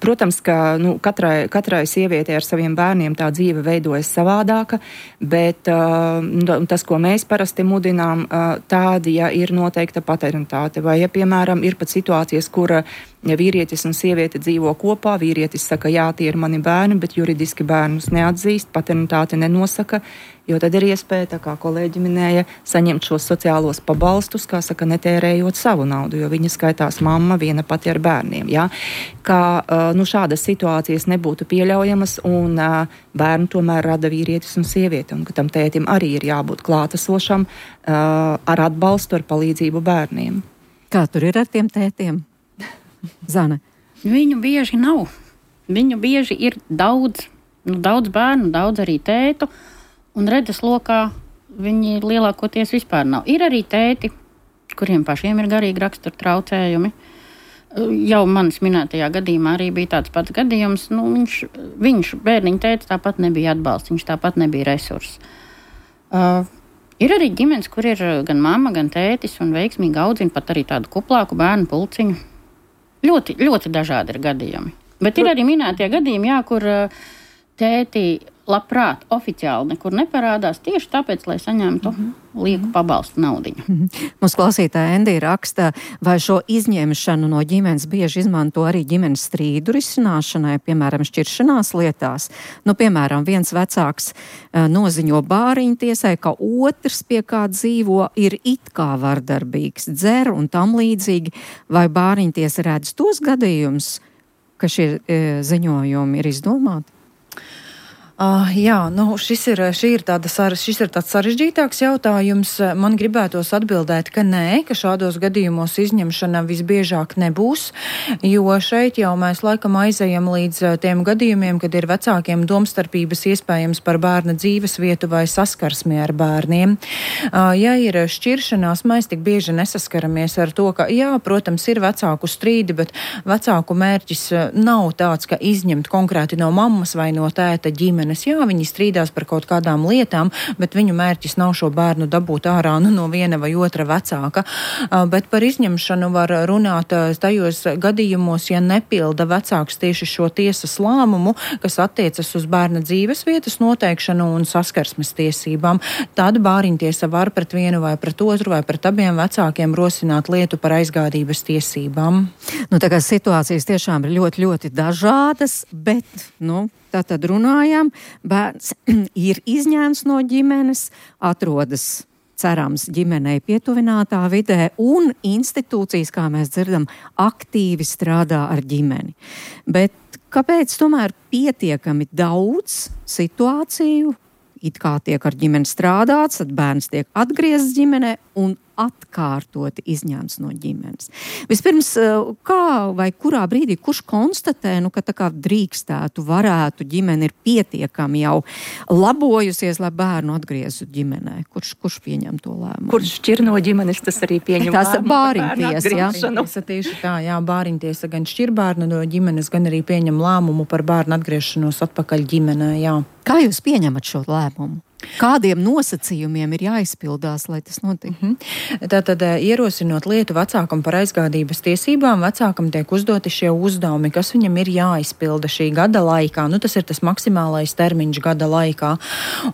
Speaker 4: protams, ka katrai sievietei ar saviem bērniem tā dzīve veidojas savādāka, bet tas, ko mēs parasti mudinām, tādi, ja ir noteikta paternitāte, vai, ja, piemēram, ir pat situācijas, kur vīrietis un sieviete dzīvo kopā, vīrietis saka, jā, tie ir mani bērni, bet juridiski bērnus neatzīst, paternitāte nenosaka, jo tad ir iespēja, tā kā kolēģi minēja, saņemt šos sociālos pabalstus, kā saka, netērējot savu naudu, jo viņa skaitās mamma viena pati ar bērniem. Ja? Kā šādas situācijas nebūtu pieļaujamas un bērnu tomēr rada vīrietis un sieviete, un ka tam tētim arī ir jābūt klātesošam ar atbalstu, ar palīdzību bērniem.
Speaker 3: Kā tur ir ar tiem tētiem? Zane?
Speaker 6: Viņu bieži nav. Viņu bieži ir daudz bērnu, daudz arī tētu, un redzes lokā viņi lielākoties vispār nav. Ir arī tēti, kuriem pašiem ir garīgi rakstura traucējumi. Jau manis minētajā gadījumā arī bija tāds pats gadījums. Viņš bērniņa tēti tāpat nebija atbalsts, viņš tāpat nebija resurss. Ir arī ģimenes, kur ir gan mamma, gan tētis un veiksmīgi audzina pat arī tādu kuplāku bērnu pulciņu. Ļoti, ļoti dažādi ir gadījumi. Bet ir arī minētie gadījumi, jā, kur tēti labprāt oficiāli nekur neparādās tieši tāpēc, lai saņemtu lieku pabalstu naudiņu.
Speaker 3: Mums klausītāja Endija raksta, vai šo izņemšanu no ģimenes bieži izmanto arī ģimenes strīdu risināšanai, piemēram, šķiršanās lietās. Piemēram, viens vecāks noziņo bāriņu tiesai, ka otrs, pie kā dzīvo, ir it kā vardarbīgs, dzer un tam līdzīgi, vai bāriņu tiesa redz tos gadījumus, ka šie ziņojumi ir izdomāti?
Speaker 5: Šis ir tāds sarežģītāks jautājums. Man gribētos atbildēt, ka nē, ka šādos gadījumos izņemšana visbiežāk nebūs, jo šeit jau mēs laikam aizejam līdz tiem gadījumiem, kad ir vecākiem domstarpības iespējams par bērna dzīves vietu vai saskarsmi ar bērniem. Ja ir šķiršanās, mēs tik bieži nesaskaramies ar to, ka, jā, protams, ir vecāku strīdi, bet vecāku mērķis nav tāds, ka izņemt konkrēti no mammas vai no tēta ģimenes. Jā, viņi strīdās par kaut kādām lietām, bet viņu mērķis nav šo bērnu dabūt ārā no viena vai otra vecāka. Bet par izņemšanu var runāt tajos gadījumos, ja nepilda vecāks tieši šo tiesas lēmumu, kas attiecas uz bērna dzīves vietas noteikšanu un saskarsmes tiesībām. Tad bāriņtiesa var pret vienu vai pret otru vai pret abiem vecākiem rosināt lietu par aizgādības tiesībām.
Speaker 3: Tā kā situācijas tiešām ir ļoti, ļoti dažādas, bet, tātad runājam, bērns ir izņēmts no ģimenes, atrodas, cerams, ģimenei pietuvinātā vidē, un institūcijas, kā mēs dzirdam, aktīvi strādā ar ģimeni. Bet kāpēc tomēr pietiekami daudz situāciju, it kā tiek ar ģimeni strādāts, tad bērns tiek atgriezts ģimenē un atkārtoti izņemts no ģimenes. Vispirms, kā vai kurā brīdī, kurš konstatē, ka tā kā drīkstētu, varētu, ģimene ir pietiekami jau labojusies, lai bērnu atgriezu ģimenē? Kurš pieņem to lēmumu?
Speaker 4: Kurš šķir no ģimenes, tas arī pieņem lēmumu.
Speaker 3: Bāriņtiesa,
Speaker 5: jā. Tieši tā, jā, bāriņtiesa gan šķir bērnu no ģimenes, gan arī pieņem lēmumu par bērnu atgriešanos atpakaļ ģimenē, jā.
Speaker 3: Kā jūs pieņemat šo lēmumu? Kādiem nosacījumiem ir jāizpildās, lai tas notiek?
Speaker 5: Tātad, ierosinot lietu vecākam par aizgādības tiesībām, vecākam tiek uzdoti šie uzdevumi, kas viņam ir jāizpilda šī gada laikā. Tas ir tas maksimālais termiņš gada laikā.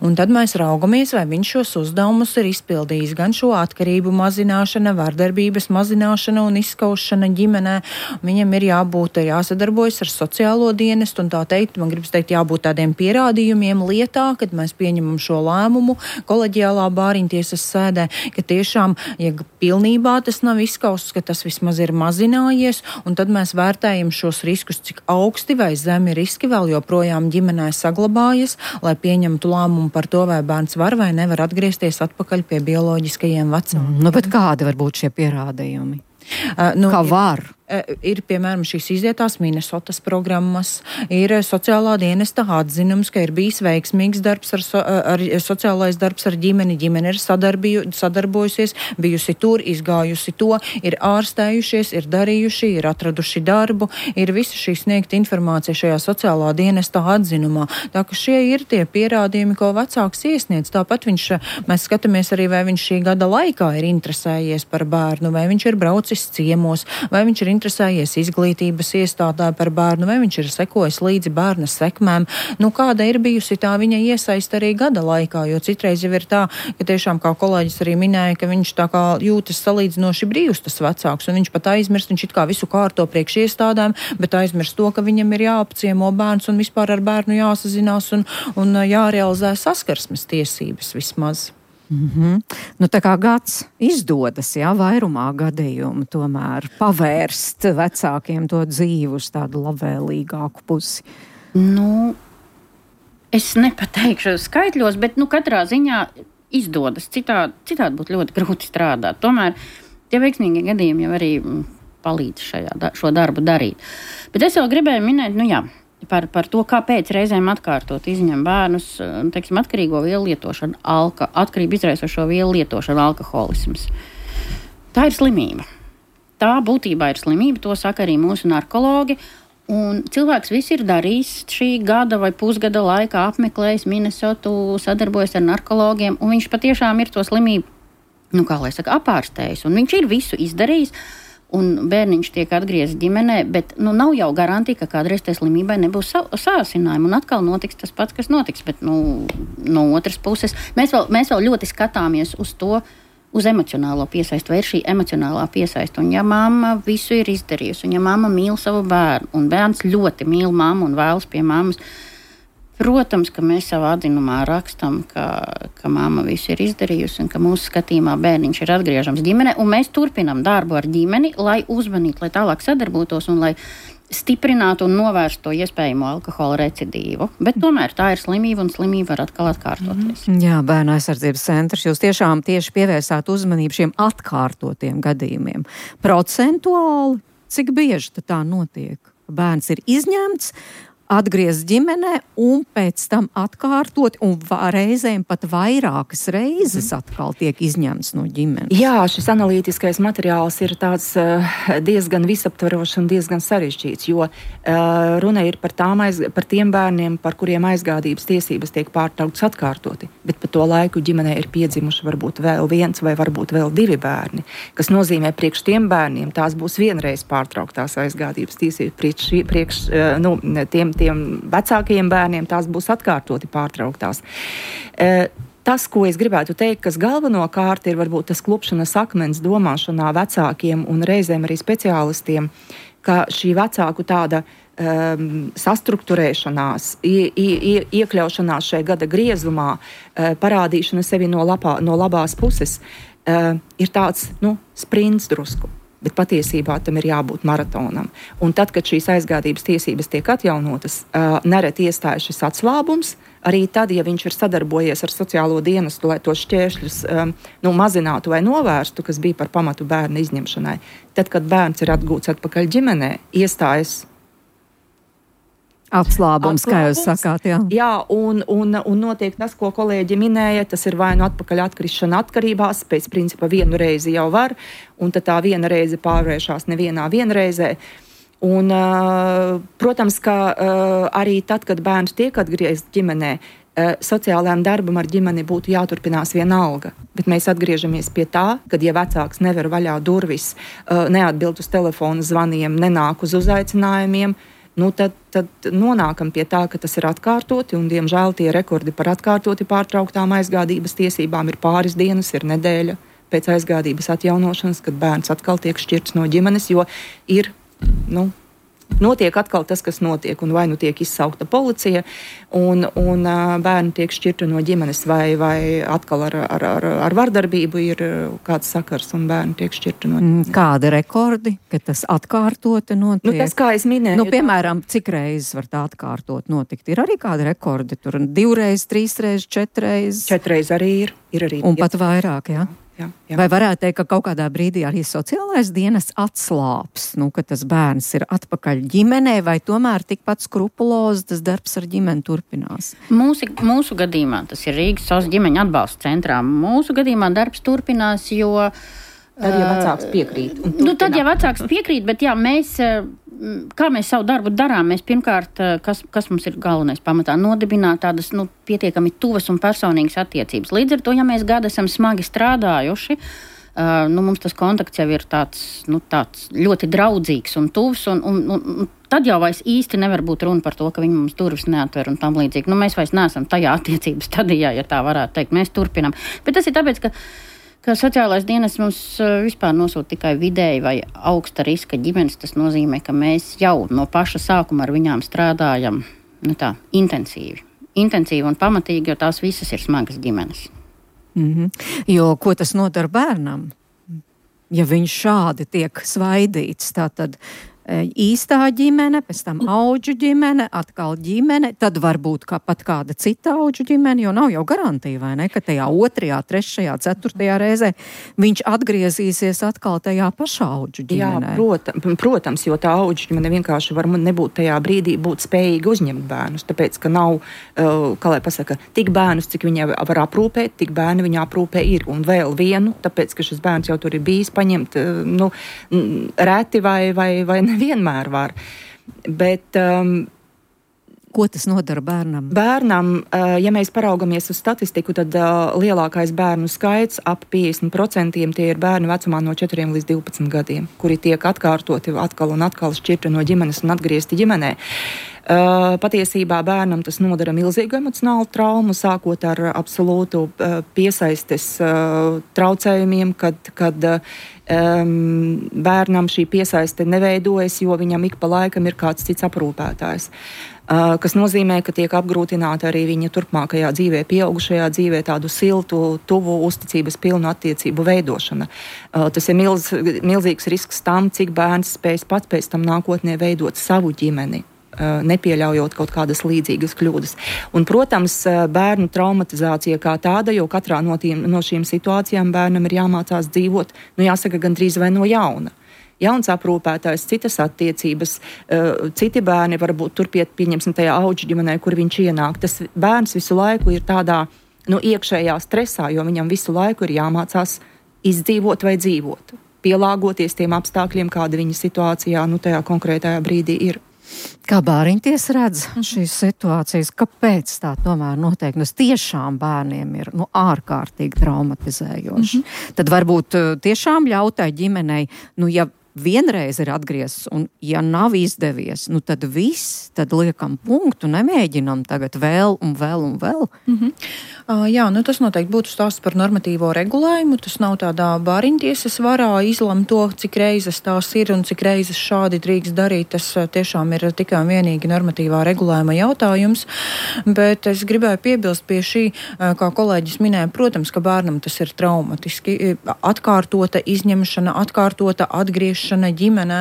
Speaker 5: Un tad mēs raugamies, vai viņš šos uzdevumus ir izpildījis. Gan šo atkarību mazināšana, vardarbības mazināšana un izskaušana ģimenē. Viņam ir jāsadarbojas ar sociālo dienestu un tā teikt, man gribas teikt, jābūt tādiem pierādījumiem lietā, kad mēs pieņemam šo šo lēmumu koleģiālā bāriņtiesas sēdē, ka tiešām, ja pilnībā tas nav izskausts, ka tas vismaz ir mazinājies, un tad mēs vērtējam šos riskus, cik augsti vai zemi riski vēl joprojām ģimenē saglabājas, lai pieņemtu lēmumu par to, vai bērns var vai nevar atgriezties atpakaļ pie bioloģiskajiem vecākiem.
Speaker 3: Nu, bet kādi var būt šie pierādījumi? Kā var?
Speaker 5: Ir, piemēram, šīs izietās Minnesotas programmas, ir sociālā dienesta atzinums, ka ir bijis veiksmīgs darbs ar sociālais darbs ar ģimeni, ģimene ir sadarbojusies, bijusi tur, izgājusi to, ir ārstējušies, ir darījuši, ir atraduši darbu, ir visa šī sniegta informācija šajā sociālā dienesta atzinumā. Tā ka šie ir tie pierādījumi, ko vecāks iesniedz. Tāpat mēs skatāmies arī, vai viņš šī gada laikā ir interesējies par bērnu, vai viņš ir braucis ciemos, vai viņš ir interesējies izglītības iestādē par bērnu, vai viņš ir sekojis līdzi bērna sekmēm. Nu, kāda ir bijusi tā viņa iesaista arī gada laikā, jo citreiz jau ir tā, ka tiešām, kā kolēģis arī minēja, ka viņš tā kā jūtas salīdzinoši brīvs tas vecāks, un viņš pat aizmirst, viņš it kā visu kārto priekš iestādēm, bet aizmirst to, ka viņam ir jāapciemo bērns un vispār ar bērnu jāsazinās un jārealizē saskarsmes tiesības vismaz.
Speaker 3: Nu, tā kā gads izdodas, vairumā gadījumu tomēr pavērst vecākiem to dzīvi uz tādu labvēlīgāku pusi.
Speaker 6: Nu, es nepateikšu skaitļos, bet katrā ziņā izdodas. Citādi būtu ļoti grūti strādāt. Tomēr tie veiksmīgi gadījumi jau arī palīdz šo darbu darīt. Bet es vēl gribēju minēt, par to, kāpēc reizēm atkārtot izņem bērnus, atkarīgo vielu lietošanu, atkarību izraisošo vielu lietošanu, alkoholisms. Tā ir slimība. Tā būtībā ir slimība, to saka arī mūsu narkologi. Un cilvēks viss ir darījis šī gada vai pusgada laikā, apmeklējis Minnesotu, sadarbojas ar narkologiem, un viņš patiešām ir to slimību, apārstējis. Un viņš ir visu izdarījis. Un bērniņš tiek atgriezts ģimenē, bet nav jau garantija, ka kādreiz tai slimībai nebūs sāsinājumi. Un atkal notiks tas pats, kas notiks. Bet no otras puses mēs vēl ļoti skatāmies uz to, uz emocionālo piesaisti, vai ir šī emocionālā piesaista. Un ja mamma visu ir izdarījusi, un ja mamma mīl savu bērnu, un bērns ļoti mīl mammu un vēlas pie mammas, protams, ka mēs savā atzinumā rakstam, ka mamma visu ir izdarījusi un ka mūsu skatījumā bērniņš ir atgriežams ģimenē, un mēs turpinam darbu ar ģimeni, lai uzmanītu, lai tālāk sadarbotos un lai stiprinātu un novērstu to iespējamo alkohola recidīvu. Bet tomēr tā ir slimība, un slimība var atkal atkārtoties.
Speaker 3: Jā, Bērnu aizsardzības centrs, jūs tiešām tieši pievērsāt uzmanību šiem atkārtotiem gadījumiem. Procentuāli, cik bieži tā notiek? Bērns ir izņemts, atgriezt ģimenē un pēc tam atkārtot, un reizēm pat vairākas reizes atkal tiek izņemts no ģimenes.
Speaker 4: Jā, šis analītiskais materiāls ir tāds diezgan visaptverošs un diezgan sarežģīts, jo runa ir par tiem bērniem, par kuriem aizgādības tiesības tiek pārtrauktas atkārtoti, bet pa to laiku ģimenē ir piedzimuši varbūt vēl viens vai varbūt vēl 2 bērni, kas nozīmē priekš tiem bērniem tās būs vienreiz pārtrauktās aizgādības tiesības, priekš tiem vecākajiem bērniem tās būs atkārtoti pārtrauktās. Tas, ko es gribētu teikt, kas galvenokārt ir varbūt tas klupšanas akmens domāšanā vecākiem un reizēm arī speciālistiem, ka šī vecāku tāda sastruktūrēšanās, iekļaušanās šajā gada griezumā, parādīšana sevi no labās puses, ir tāds, sprints drusku. Bet patiesībā tam ir jābūt maratonam. Un tad, kad šīs aizgādības tiesības tiek atjaunotas, nereti iestājas šis atslābums, arī tad, ja viņš ir sadarbojies ar sociālo dienestu, lai tos šķēršļus mazinātu vai novērstu, kas bija par pamatu bērna izņemšanai, tad, kad bērns ir atgūts atpakaļ ģimenē, iestājas
Speaker 3: atslābums, kā jūs sakāt, jā.
Speaker 4: Jā, un notiek tas, ko kolēģi minēja, tas ir vai nu atpakaļ atkrišana atkarībās, pēc principa vienu reizi jau var, un tad tā viena reize pārvēršās nevienā vienreizē. Un, protams, ka arī tad, kad bērns tiek atgriezts ģimenē, sociālajām darbam ar ģimeni būtu jāturpinās vienalga. Bet mēs atgriežamies pie tā, kad ja vecāks never vaļā durvis, neatbild uz telefona zvaniem, nenāk uz uzaicinājumiem, tad nonākam pie tā, ka tas ir atkārtoti, un diemžēl tie rekordi par atkārtoti pārtrauktām aizgādības tiesībām ir pāris dienas, ir nedēļa pēc aizgādības atjaunošanas, kad bērns atkal tiek šķirts no ģimenes, jo ir, notiek atkal tas, kas notiek, un vai nu tiek izsaukta policija, un bērni tiek šķirti no ģimenes, vai atkal ar vardarbību ir kāds sakars, un bērni tiek šķirti no ģimenes.
Speaker 3: Kādi rekordi, ka tas atkārtoti notiek?
Speaker 4: Tas, kā es minēju.
Speaker 3: Piemēram, cik reizes var tā atkārtot notikt? Ir arī kādi rekordi? Tur 2 reizes, 3 reizes, 4 reizes?
Speaker 4: 4 reizes arī ir. Arī.
Speaker 3: Un pat vairāk, jā?
Speaker 4: Jā.
Speaker 3: Vai varētu teikt, ka kaut kādā brīdī arī sociālais dienas atslāps, ka tas bērns ir atpakaļ ģimenē, vai tomēr tikpat skrupulozi tas darbs ar ģimeni turpinās?
Speaker 6: Mūsu gadījumā tas ir Rīgas SOS ģimeņa atbalsta centrā. Mūsu gadījumā darbs turpinās, jo
Speaker 4: tad, ja vecāks piekrīt.
Speaker 6: Tad, ja vecāks piekrīt, bet jā, kā mēs savu darbu darām, mēs pirmkārt, kas mums ir galvenais pamatā, nodibināt tādas, pietiekami tuvas un personīgas attiecības. Līdz ar to, ja mēs gadu esam smagi strādājuši, mums tas kontakts jau ir tāds ļoti draudzīgs un tuvs, un tad jau vairs īsti nevar būt runa par to, ka viņi mums durvis neatver un tam līdzīgi. Mēs vairs neesam tajā attiecības stadijā, ja tā varētu teikt. Mēs turpinām. Bet tas ir tāpēc, ka sociālais dienas mums vispār nosūta tikai vidēji vai augsta riska ģimenes. Tas nozīmē, ka mēs jau no paša sākuma ar viņām strādājam intensīvi un pamatīgi, jo tās visas ir smagas ģimenes.
Speaker 3: Jo ko tas nodara bērnam? Ja viņš šādi tiek svaidīts, tātad īstā ģimene, pēc tam audžu ģimene, atkal ģimene, tad varbūt pat kāda cita audžu ģimene, jo nav jau garantija, vai ne, ka tajā 2., 3., 4. reizē viņš atgriezīsies atkal tajā pašā audžu ģimenē.
Speaker 4: Jā, protams, jo tā audžu ģimene vienkārši var nebūt tajā brīdī būt spējīga uzņemt bērnus, tāpēc, ka nav, kā lai pasaka, tik bērnus, cik viņa var aprūpēt, tik bērni viņa aprūpē ir, un vēl vienu, tāpēc, ka šis bērns jau tur ir bijis paņemt, reti vai nevienmēr var. Bet
Speaker 3: ko tas nodara bērnam?
Speaker 4: Bērnam, ja mēs paraugamies uz statistiku, tad lielākais bērnu skaits, ap 50%, tie ir bērni vecumā no 4 līdz 12 gadiem, kuri tiek atkārtoti atkal un atkal šķirti no ģimenes un atgriezti ģimenē. Patiesībā bērnam tas nodara milzīgu emocionālu traumu, sākot ar absolūtu piesaistes traucējumiem, kad bērnam šī piesaiste neveidojas, jo viņam ik pa laikam ir kāds cits aprūpētājs. Kas nozīmē, ka tiek apgrūtināta arī viņa turpmākajā dzīvē, pieaugušajā dzīvē tādu siltu, tuvu, uzticības pilnu attiecību veidošana. Tas ir milzīgs risks tam, cik bērns spēs pats pēc tam nākotnē veidot savu ģimeni, nepieļaujot kaut kādas līdzīgas kļūdas. Un, protams, bērnu traumatizācija kā tāda, jo katrā no šīm situācijām bērnam ir jāmācās dzīvot, jāsaka, gandrīz vai no jauna. Jauns aprūpētājs, citas attiecības, citi bērni varbūt turpiet, pieņemsim, tajā audžu ģimenē, kur viņš ienāk. Tas bērns visu laiku ir tādā iekšējā stresā, jo viņam visu laiku ir jāmācās izdzīvot vai dzīvot, pielāgoties tiem apstākļiem, kāda viņa situācijā tajā konkrētajā brīdī ir.
Speaker 3: Kā bāriņties redz šīs situācijas? Kāpēc tā tomēr notiek? Tas tiešām bērniem ir ārkārtīgi traumatizējoši. Tad varbūt tiešām ļautai ģimenei, ja vienreiz ir atgriezis, un ja nav izdevies, tad viss, tad liekam punktu, nemēģinam tagad vēl un vēl un vēl.
Speaker 5: Jā, tas noteikti būtu stāsts par normatīvo regulējumu. Tas nav tādā bāriņtiesas varā izlemt to, cik reizes tās ir un cik reizes šādi drīkst darīt. Tas tiešām ir tikai un vienīgi normatīvā regulējuma jautājums. Bet es gribēju piebilst pie šī, kā kolēģis minēja, protams, ka bērnam tas ir traumatiski. Atkārtota izņemšana, atkārtota atgriešana ģimenē.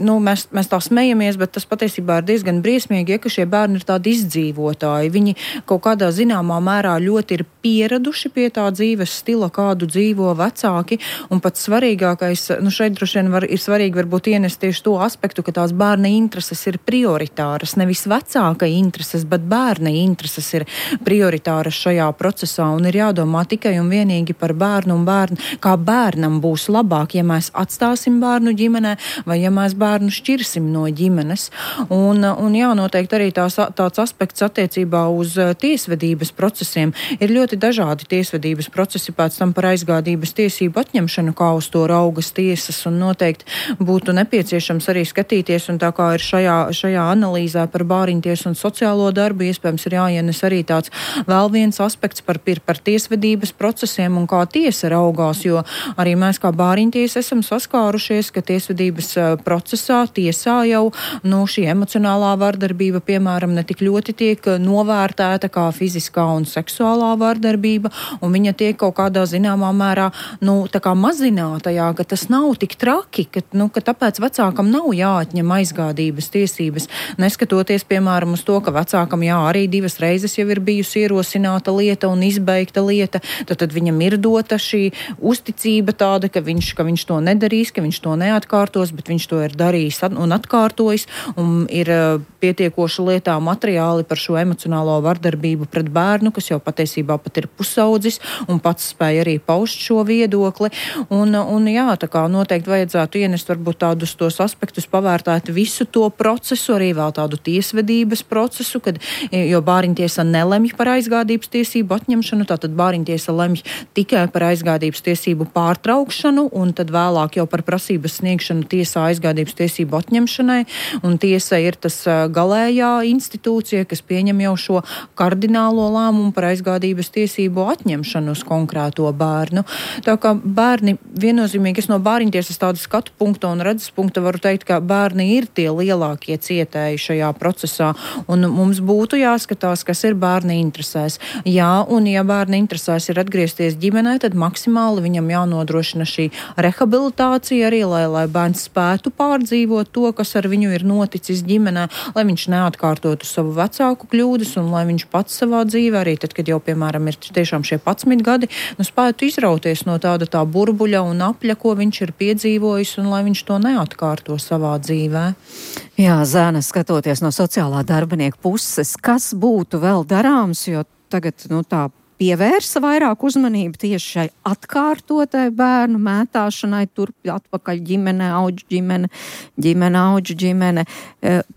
Speaker 5: Mēs tā smejamies, bet tas patiesībā ir diezgan briesmīgi, ka šie bērni ir tādi izdzīvotāji. Viņi kaut kādā zināmā mērā ļoti ir pieraduši pie tā dzīves stila, kādu dzīvo vecāki, un pats svarīgākais, šeit droši vien ir svarīgi varbūt ienest tieši to aspektu, ka tās bērna intereses ir prioritāras, nevis vecāka intereses, bet bērna intereses ir prioritāras šajā procesā, un ir jādomā tikai un vienīgi par bērnu un bērnu, kā bērnam būs labāk, ja mēs atstāsim bērnu ģimenē, vai ja mēs bērnu šķirsim no ģimenes. Un noteikti arī tāds aspekts attiecībā uz tiesvedības procesiem. Ir ļoti dažādi tiesvedības procesi pēc tam par aizgādības tiesību atņemšanu, kā uz to raugas tiesas, un noteikti būtu nepieciešams arī skatīties, un tā kā ir šajā analīzē par bāriņtiesu un sociālo darbu, iespējams ir jāienes arī tāds vēl viens aspekts par tiesvedības procesiem un kā tiesa raugās, jo arī mēs kā bāriņtiesu bāriņtiesa esam saskārušies, ka tiesvedības procesā, tiesā jau šī emocionālā vardarbība, piemēram, netik ļoti tiek novērtēta kā fiziskā un seksuālā vardarbība, un viņa tiek kaut kādā zināmā mērā, tā kā mazināta, ka tas nav tik traki, ka tāpēc vecākam nav jāatņem aizgādības tiesības, neskatoties, piemēram, uz to, ka vecākam arī 2 reizes jau ir bijusi ierosināta lieta un izbeigta lieta, tad viņam ir dota šī uzticība tāda, ka viņš to nedarīs, ka viņš to neatkārtos, bet viņš to ir darījis un atkārtojis, un ir pietiekoši lietā materiāli par šo emocionālo vardarbību pret bērnu, kas jau patiesībā pat ir pusaudzis un pats spēja arī paust šo viedokli. Un jā, tā kā noteikti vajadzētu ienest varbūt tādus tos aspektus, pavērtēt visu to procesu, arī vēl tādu tiesvedības procesu, jo bāriņtiesa nelemj par aizgādības tiesību atņemšanu, tātad bāriņtiesa lemj tikai par aizgādības tiesību pārtraukšanu un tad vēlāk jau par prasības sniegšanu tiesā aizgādības tiesību atņemšanai, un tiesa ir tas galējā institūcija, kas pieņem jau šo kardinālo lēmumu par aizgādības tiesību atņemšanu uz konkrēto bērnu. Tā kā bērni viennozīmīgi, es no bāriņtiesas tādu skatu punktu un redzes punktu varu teikt, ka bērni ir tie lielākie cietēji šajā procesā, un mums būtu jāskatās, kas ir bērni interesēs. Jā, un ja bērni interesēs ir atgriezties ģimenē, tad maksimāli viņam jānodrošina šī rehabilitācija arī, lai bērns spētu pārdzīvot to, kas ar viņu ir noticis ģimenē, lai viņš neatkārtotu savu vecāku kļūdas un lai viņš pats savā dzīvē, arī tad, kad jau, piemēram, ir tiešām šie 11 gadi, spētu izrauties no tāda tā burbuļa un apļa, ko viņš ir piedzīvojis, un lai viņš to neatkārto savā dzīvē.
Speaker 3: Jā, Zēna, skatoties no sociālā darbinieka puses, kas būtu vēl darāms, jo tagad, tā pievērsa vairāk uzmanību tieši šai atkārtotai bērnu mētāšanai, turp atpakaļ ģimene, auģu ģimene, auģu ģimene.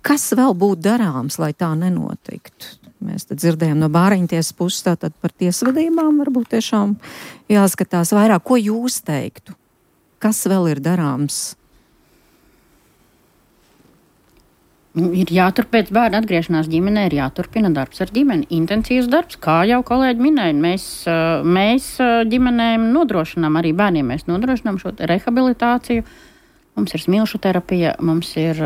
Speaker 3: Kas vēl būtu darāms, lai tā nenotiktu? Mēs tad dzirdējām no bāriņtiesas puses, tātad par tiesvedībām varbūt tiešām jāskatās vairāk. Ko jūs teiktu? Kas vēl ir darāms?
Speaker 6: Ir jāturpēc bērnu atgriešanās ģimenē, ir jāturpina darbs ar ģimeni. Intensīvs darbs, kā jau kolēģi minēja. Mēs ģimenēm nodrošinām, arī bērniem mēs nodrošinām šo rehabilitāciju. Mums ir smilšu terapija, mums ir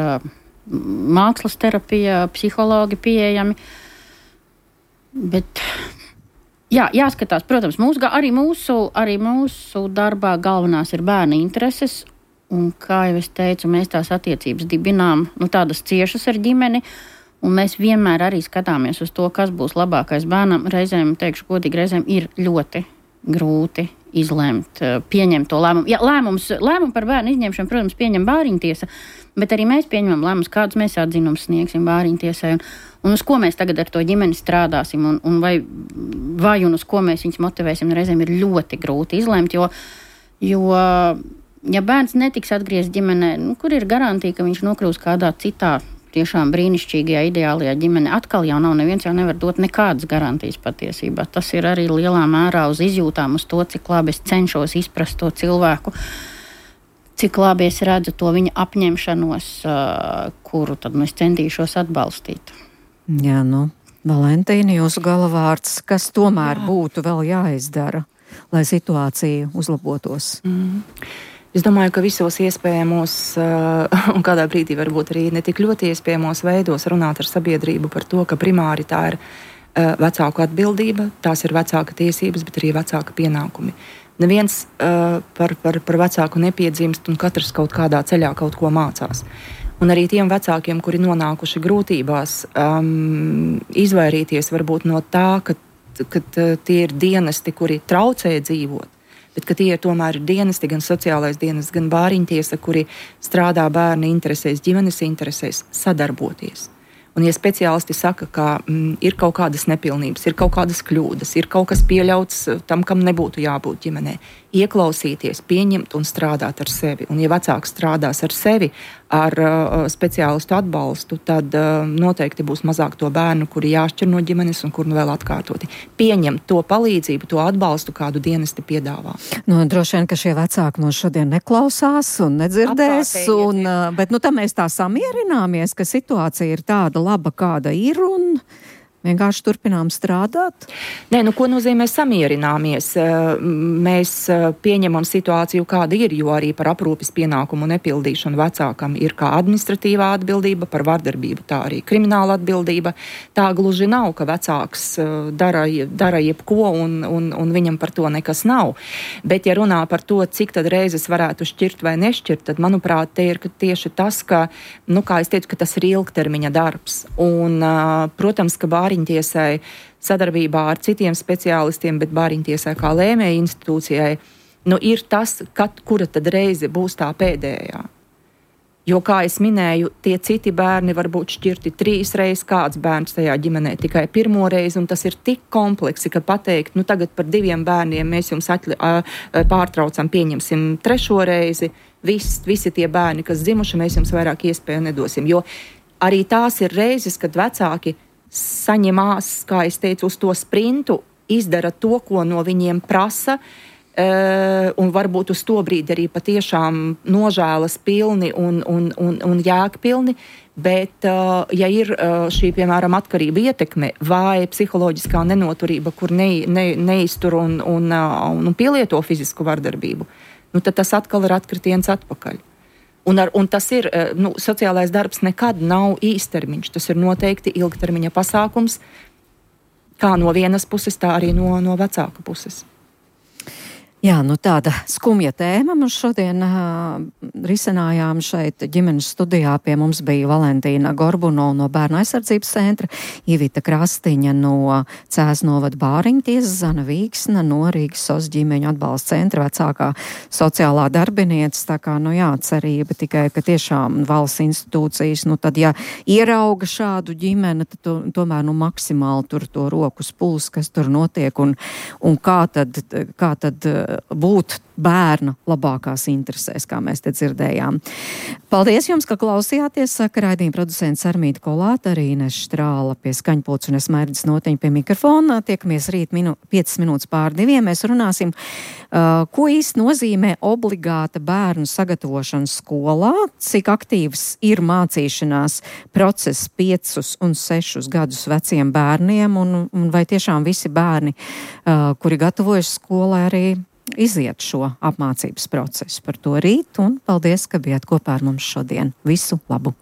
Speaker 6: mākslas terapija, psihologi pieejami. Bet jāskatās, protams, arī mūsu darbā galvenās ir bērna intereses. Un, kā jau es teicu, mēs tās attiecības dibinām, tādas ciešas ar ģimeni, un mēs vienmēr arī skatāmies uz to, kas būs labākais bērnam. Reizēm, teikšu godīgi, reizēm ir ļoti grūti izlemt, pieņemt to lēmumu. Ja, lēmumu par bērnu izņemšanu, protams, pieņem bāriņtiesa, bet arī mēs pieņemam lēmumus, kādus mēs atzinumus sniegsim bāriņtiesai, un uz ko mēs tagad ar to ģimeni strādāsim, un vai un uz ko mēs viņus motivēsim, reizēm ir ļoti grūti izlemt, jo ja bērns netiks atgriezt ģimenē, kur ir garantija, ka viņš nokļūs kādā citā tiešām brīnišķīgajā, ideālajā ģimenē, atkal jau nav, neviens jau nevar dot nekādas garantijas patiesībā. Tas ir arī lielā mērā uz izjūtām, uz to, cik labi es cenšos izprast to cilvēku, cik labi es redzu to viņa apņemšanos, kuru tad es centīšos atbalstīt.
Speaker 3: Jā, Valentīna, jūsu galavārds, kas tomēr būtu vēl jāizdara, lai situācija uzlabotos?
Speaker 4: Es domāju, ka visos iespējamos, un kādā brīdī varbūt arī ne tik ļoti iespējamos veidos runāt ar sabiedrību par to, ka primāri tā ir vecāku atbildība, tās ir vecāka tiesības, bet arī vecāka pienākumi. Neviens par vecāku nepiedzimst un katrs kaut kādā ceļā kaut ko mācās. Un arī tiem vecākiem, kuri nonākuši grūtībās, izvairīties varbūt no tā, ka tie ir dienesti, kuri traucē dzīvot, bet ka tie tomēr ir dienesti, gan sociālais dienests, gan bāriņtiesa, kuri strādā bērna interesēs, ģimenes interesēs, sadarboties. Un, ja speciālisti saka, ka ir kaut kādas nepilnības, ir kaut kādas kļūdas, ir kaut kas pieļauts tam, kam nebūtu jābūt ģimenē, ieklausīties, pieņemt un strādāt ar sevi. Un, ja vecāks strādās ar sevi, ar speciālistu atbalstu, tad noteikti būs mazāk to bērnu, kuri jāšķir no ģimenes un kur vēl atkārtoti. Pieņemt to palīdzību, to atbalstu, kādu dienesti piedāvā.
Speaker 3: Droši vien, ka šie vecāki mūs šodien neklausās un nedzirdēs, bet tam mēs tā samierināmies, ka situācija ir tāda laba, kāda ir, un Vienkārši turpinām strādāt?
Speaker 4: Nē, ko nozīmē samierināmies? Mēs pieņemam situāciju, kāda ir, jo arī par aprūpes pienākumu nepildīšanu vecākam ir kā administratīvā atbildība, par vardarbību tā arī krimināla atbildība. Tā gluži nav, ka vecāks dara jebko un viņam par to nekas nav. Bet, ja runā par to, cik tad reizes varētu šķirt vai nešķirt, tad, manuprāt, te ir tieši tas, ka, kā es teicu, ka tas ir ilgtermiņa darbs. Un, protams, ka Bāriņtiesai sadarbībā ar citiem speciālistiem, bet Bāriņtiesai kā lēmēja institūcijai, ir tas, kura tad reize būs tā pēdējā. Jo, kā es minēju, tie citi bērni var būt šķirti 3 reizes, kāds bērns tajā ģimenē tikai 1 reizi, un tas ir tik kompleksi, ka pateikt, tagad par 2 bērniem mēs jums pārtraucam, pieņemsim 3. reizi, visi tie bērni, kas dzimuši, mēs jums vairāk iespēju nedosim. Jo arī tās ir reizes, kad vecāki saņemās, kā es teicu, uz to sprintu, izdara to, ko no viņiem prasa, un varbūt uz to brīdi arī patiešām nožēlas pilni un jēgpilni, bet ja ir šī, piemēram, atkarība ietekme vai psiholoģiskā nenoturība, kur neiztur un pielieto fizisku vardarbību, tad tas atkal ir atkritiens atpakaļ. Un tas ir, sociālais darbs nekad nav īstermiņš, tas ir noteikti ilgtermiņa pasākums, kā no vienas puses, tā arī no vecāka puses.
Speaker 3: Jā, tāda skumja tēma mums šodien risinājām šeit ģimenes studijā. Pie mums bija Valentīna Gorbunova no Bērnu aizsardzības centra, Ivita Krastiņa no Cēs novada Bāriņtiesas, Zana Vīksna no Rīgas SOS ģimeņu atbalsta centra, vecākā sociālā darbinieca. Tā kā, cerība tikai, ka tiešām valsts institūcijas, tad, ja ierauga šādu ģimeni, tad tomēr maksimāli tur to rokas puls, kas tur notiek un kā tad būt bērna labākās interesēs, kā mēs te dzirdējām. Paldies jums, ka klausījāties, saka raidījuma producents Armīta Kolāta, arī Ines Štrāla pie skaņpults un es Mairdis Noteņa pie mikrofona. Tiekamies rīt 5 minūtes pār 2. Mēs runāsim, ko īsti nozīmē obligāta bērnu sagatavošana skolā, cik aktīvs ir mācīšanās process 5 un 6 gadus veciem bērniem un vai tiešām visi bērni, kuri gatavojas skolai, arī iziet šo apmācības procesu. Par to rīt un paldies, ka bijāt kopā ar mums šodien. Visu labu!